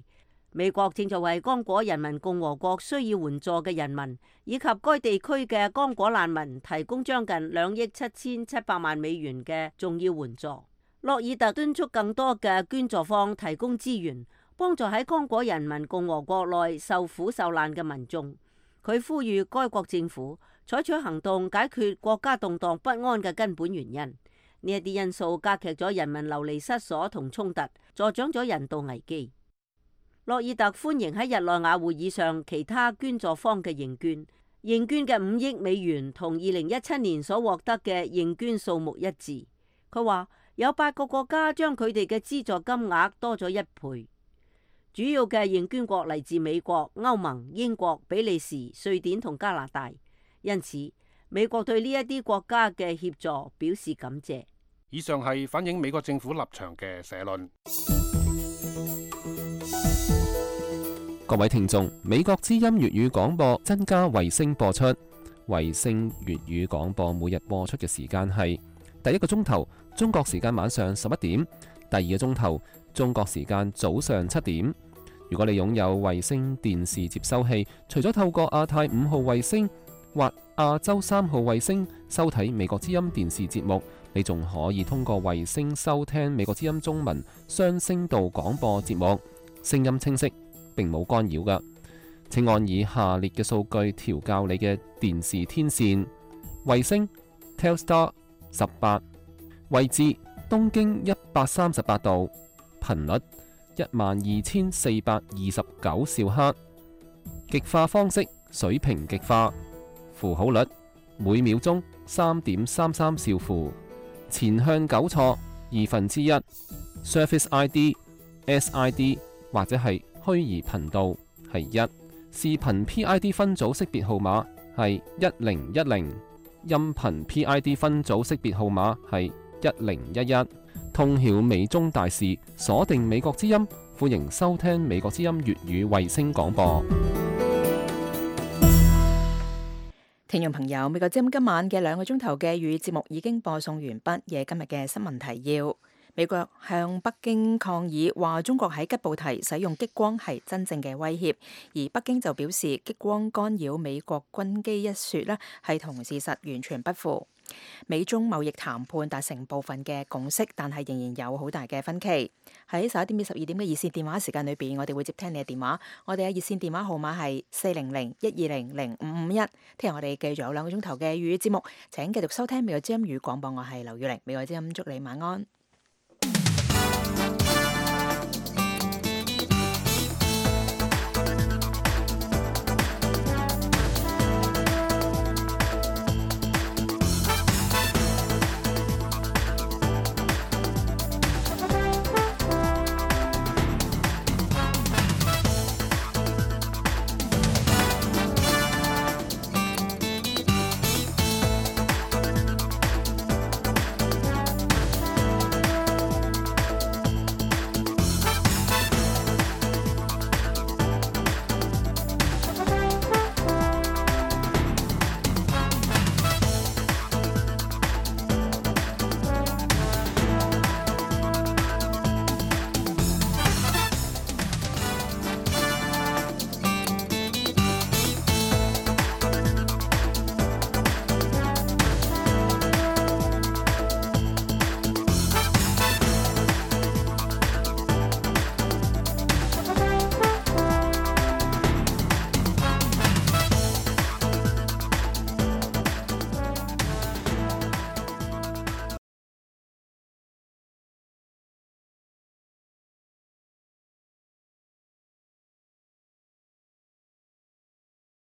美國正在為剛果人民共和國需要援助嘅人民以及該地區嘅剛果難民提供將近2億7700萬美元嘅重要援助。洛爾特敦促更多嘅捐助方提供資源，幫助喺剛果人民共和國內受苦受難嘅民眾。佢呼籲該國政府採取行動解決國家動盪不安嘅根本原因。呢一啲因素加劇咗人民流離失所同衝突，助長咗人道危機。洛爾特歡迎喺日內瓦會議上其他捐助方嘅認捐，認捐嘅5億美元同2017年所獲得嘅認捐數目一致。佢話有8個國家將佢哋嘅資助金額多咗1倍。主要嘅認捐國嚟自美國、歐盟、英國、比利時、瑞典同加拿大，因此美國對呢一啲國家嘅協助表示感謝。以上係反映美國政府立場嘅社論。各位聽眾，美國之音粵語廣播增加衛星播出，衛星粵語廣播每日播出嘅時間係第一個鐘頭中國時間晚上11點，第二個鐘頭中國時間早上7點。如果你擁有衛星電視接收器，除咗透過亞太5號衛星或亞洲3號衛星收睇美國之音電視節目，你仲可以通過衛星收聽美國之音中文雙聲道廣播節目，聲音清晰，並冇干擾㗎。請按以下列嘅數據調校你嘅電視天線：衛星 Telstar 18，位置東經138度，頻率12429兆赫，極化方式水平極化，符號率每秒鐘3.33兆符，前向糾錯1/2， Surface ID、SID 或者係虛擬頻道係1，視頻 PID 分組識別號碼係1010，音頻 PID 分組識別號碼係1011。通曉美中大事，鎖定美國之音，歡迎收聽美國之音粵語衛星廣播。聽眾朋友，美國之音今晚嘅2個鐘頭嘅粵語節目已經播送完畢。夜今日嘅新聞提要：美國向北京抗議，話中國喺吉布提使用激光係真正嘅威脅，而北京就表示激光干擾美國軍機一說呢係同事實完全不符。美中貿易談判達成部分嘅共識，但係仍然有好大嘅分歧。喺11點至12點嘅熱線電話時間裏邊，我哋會接聽你嘅電話。我哋嘅熱線電話號碼係400-120-0551。聽日我哋繼續有2個鐘頭嘅粵語節目，請繼續收聽美國之音語廣播。我係劉宇玲，美國之音祝你晚安。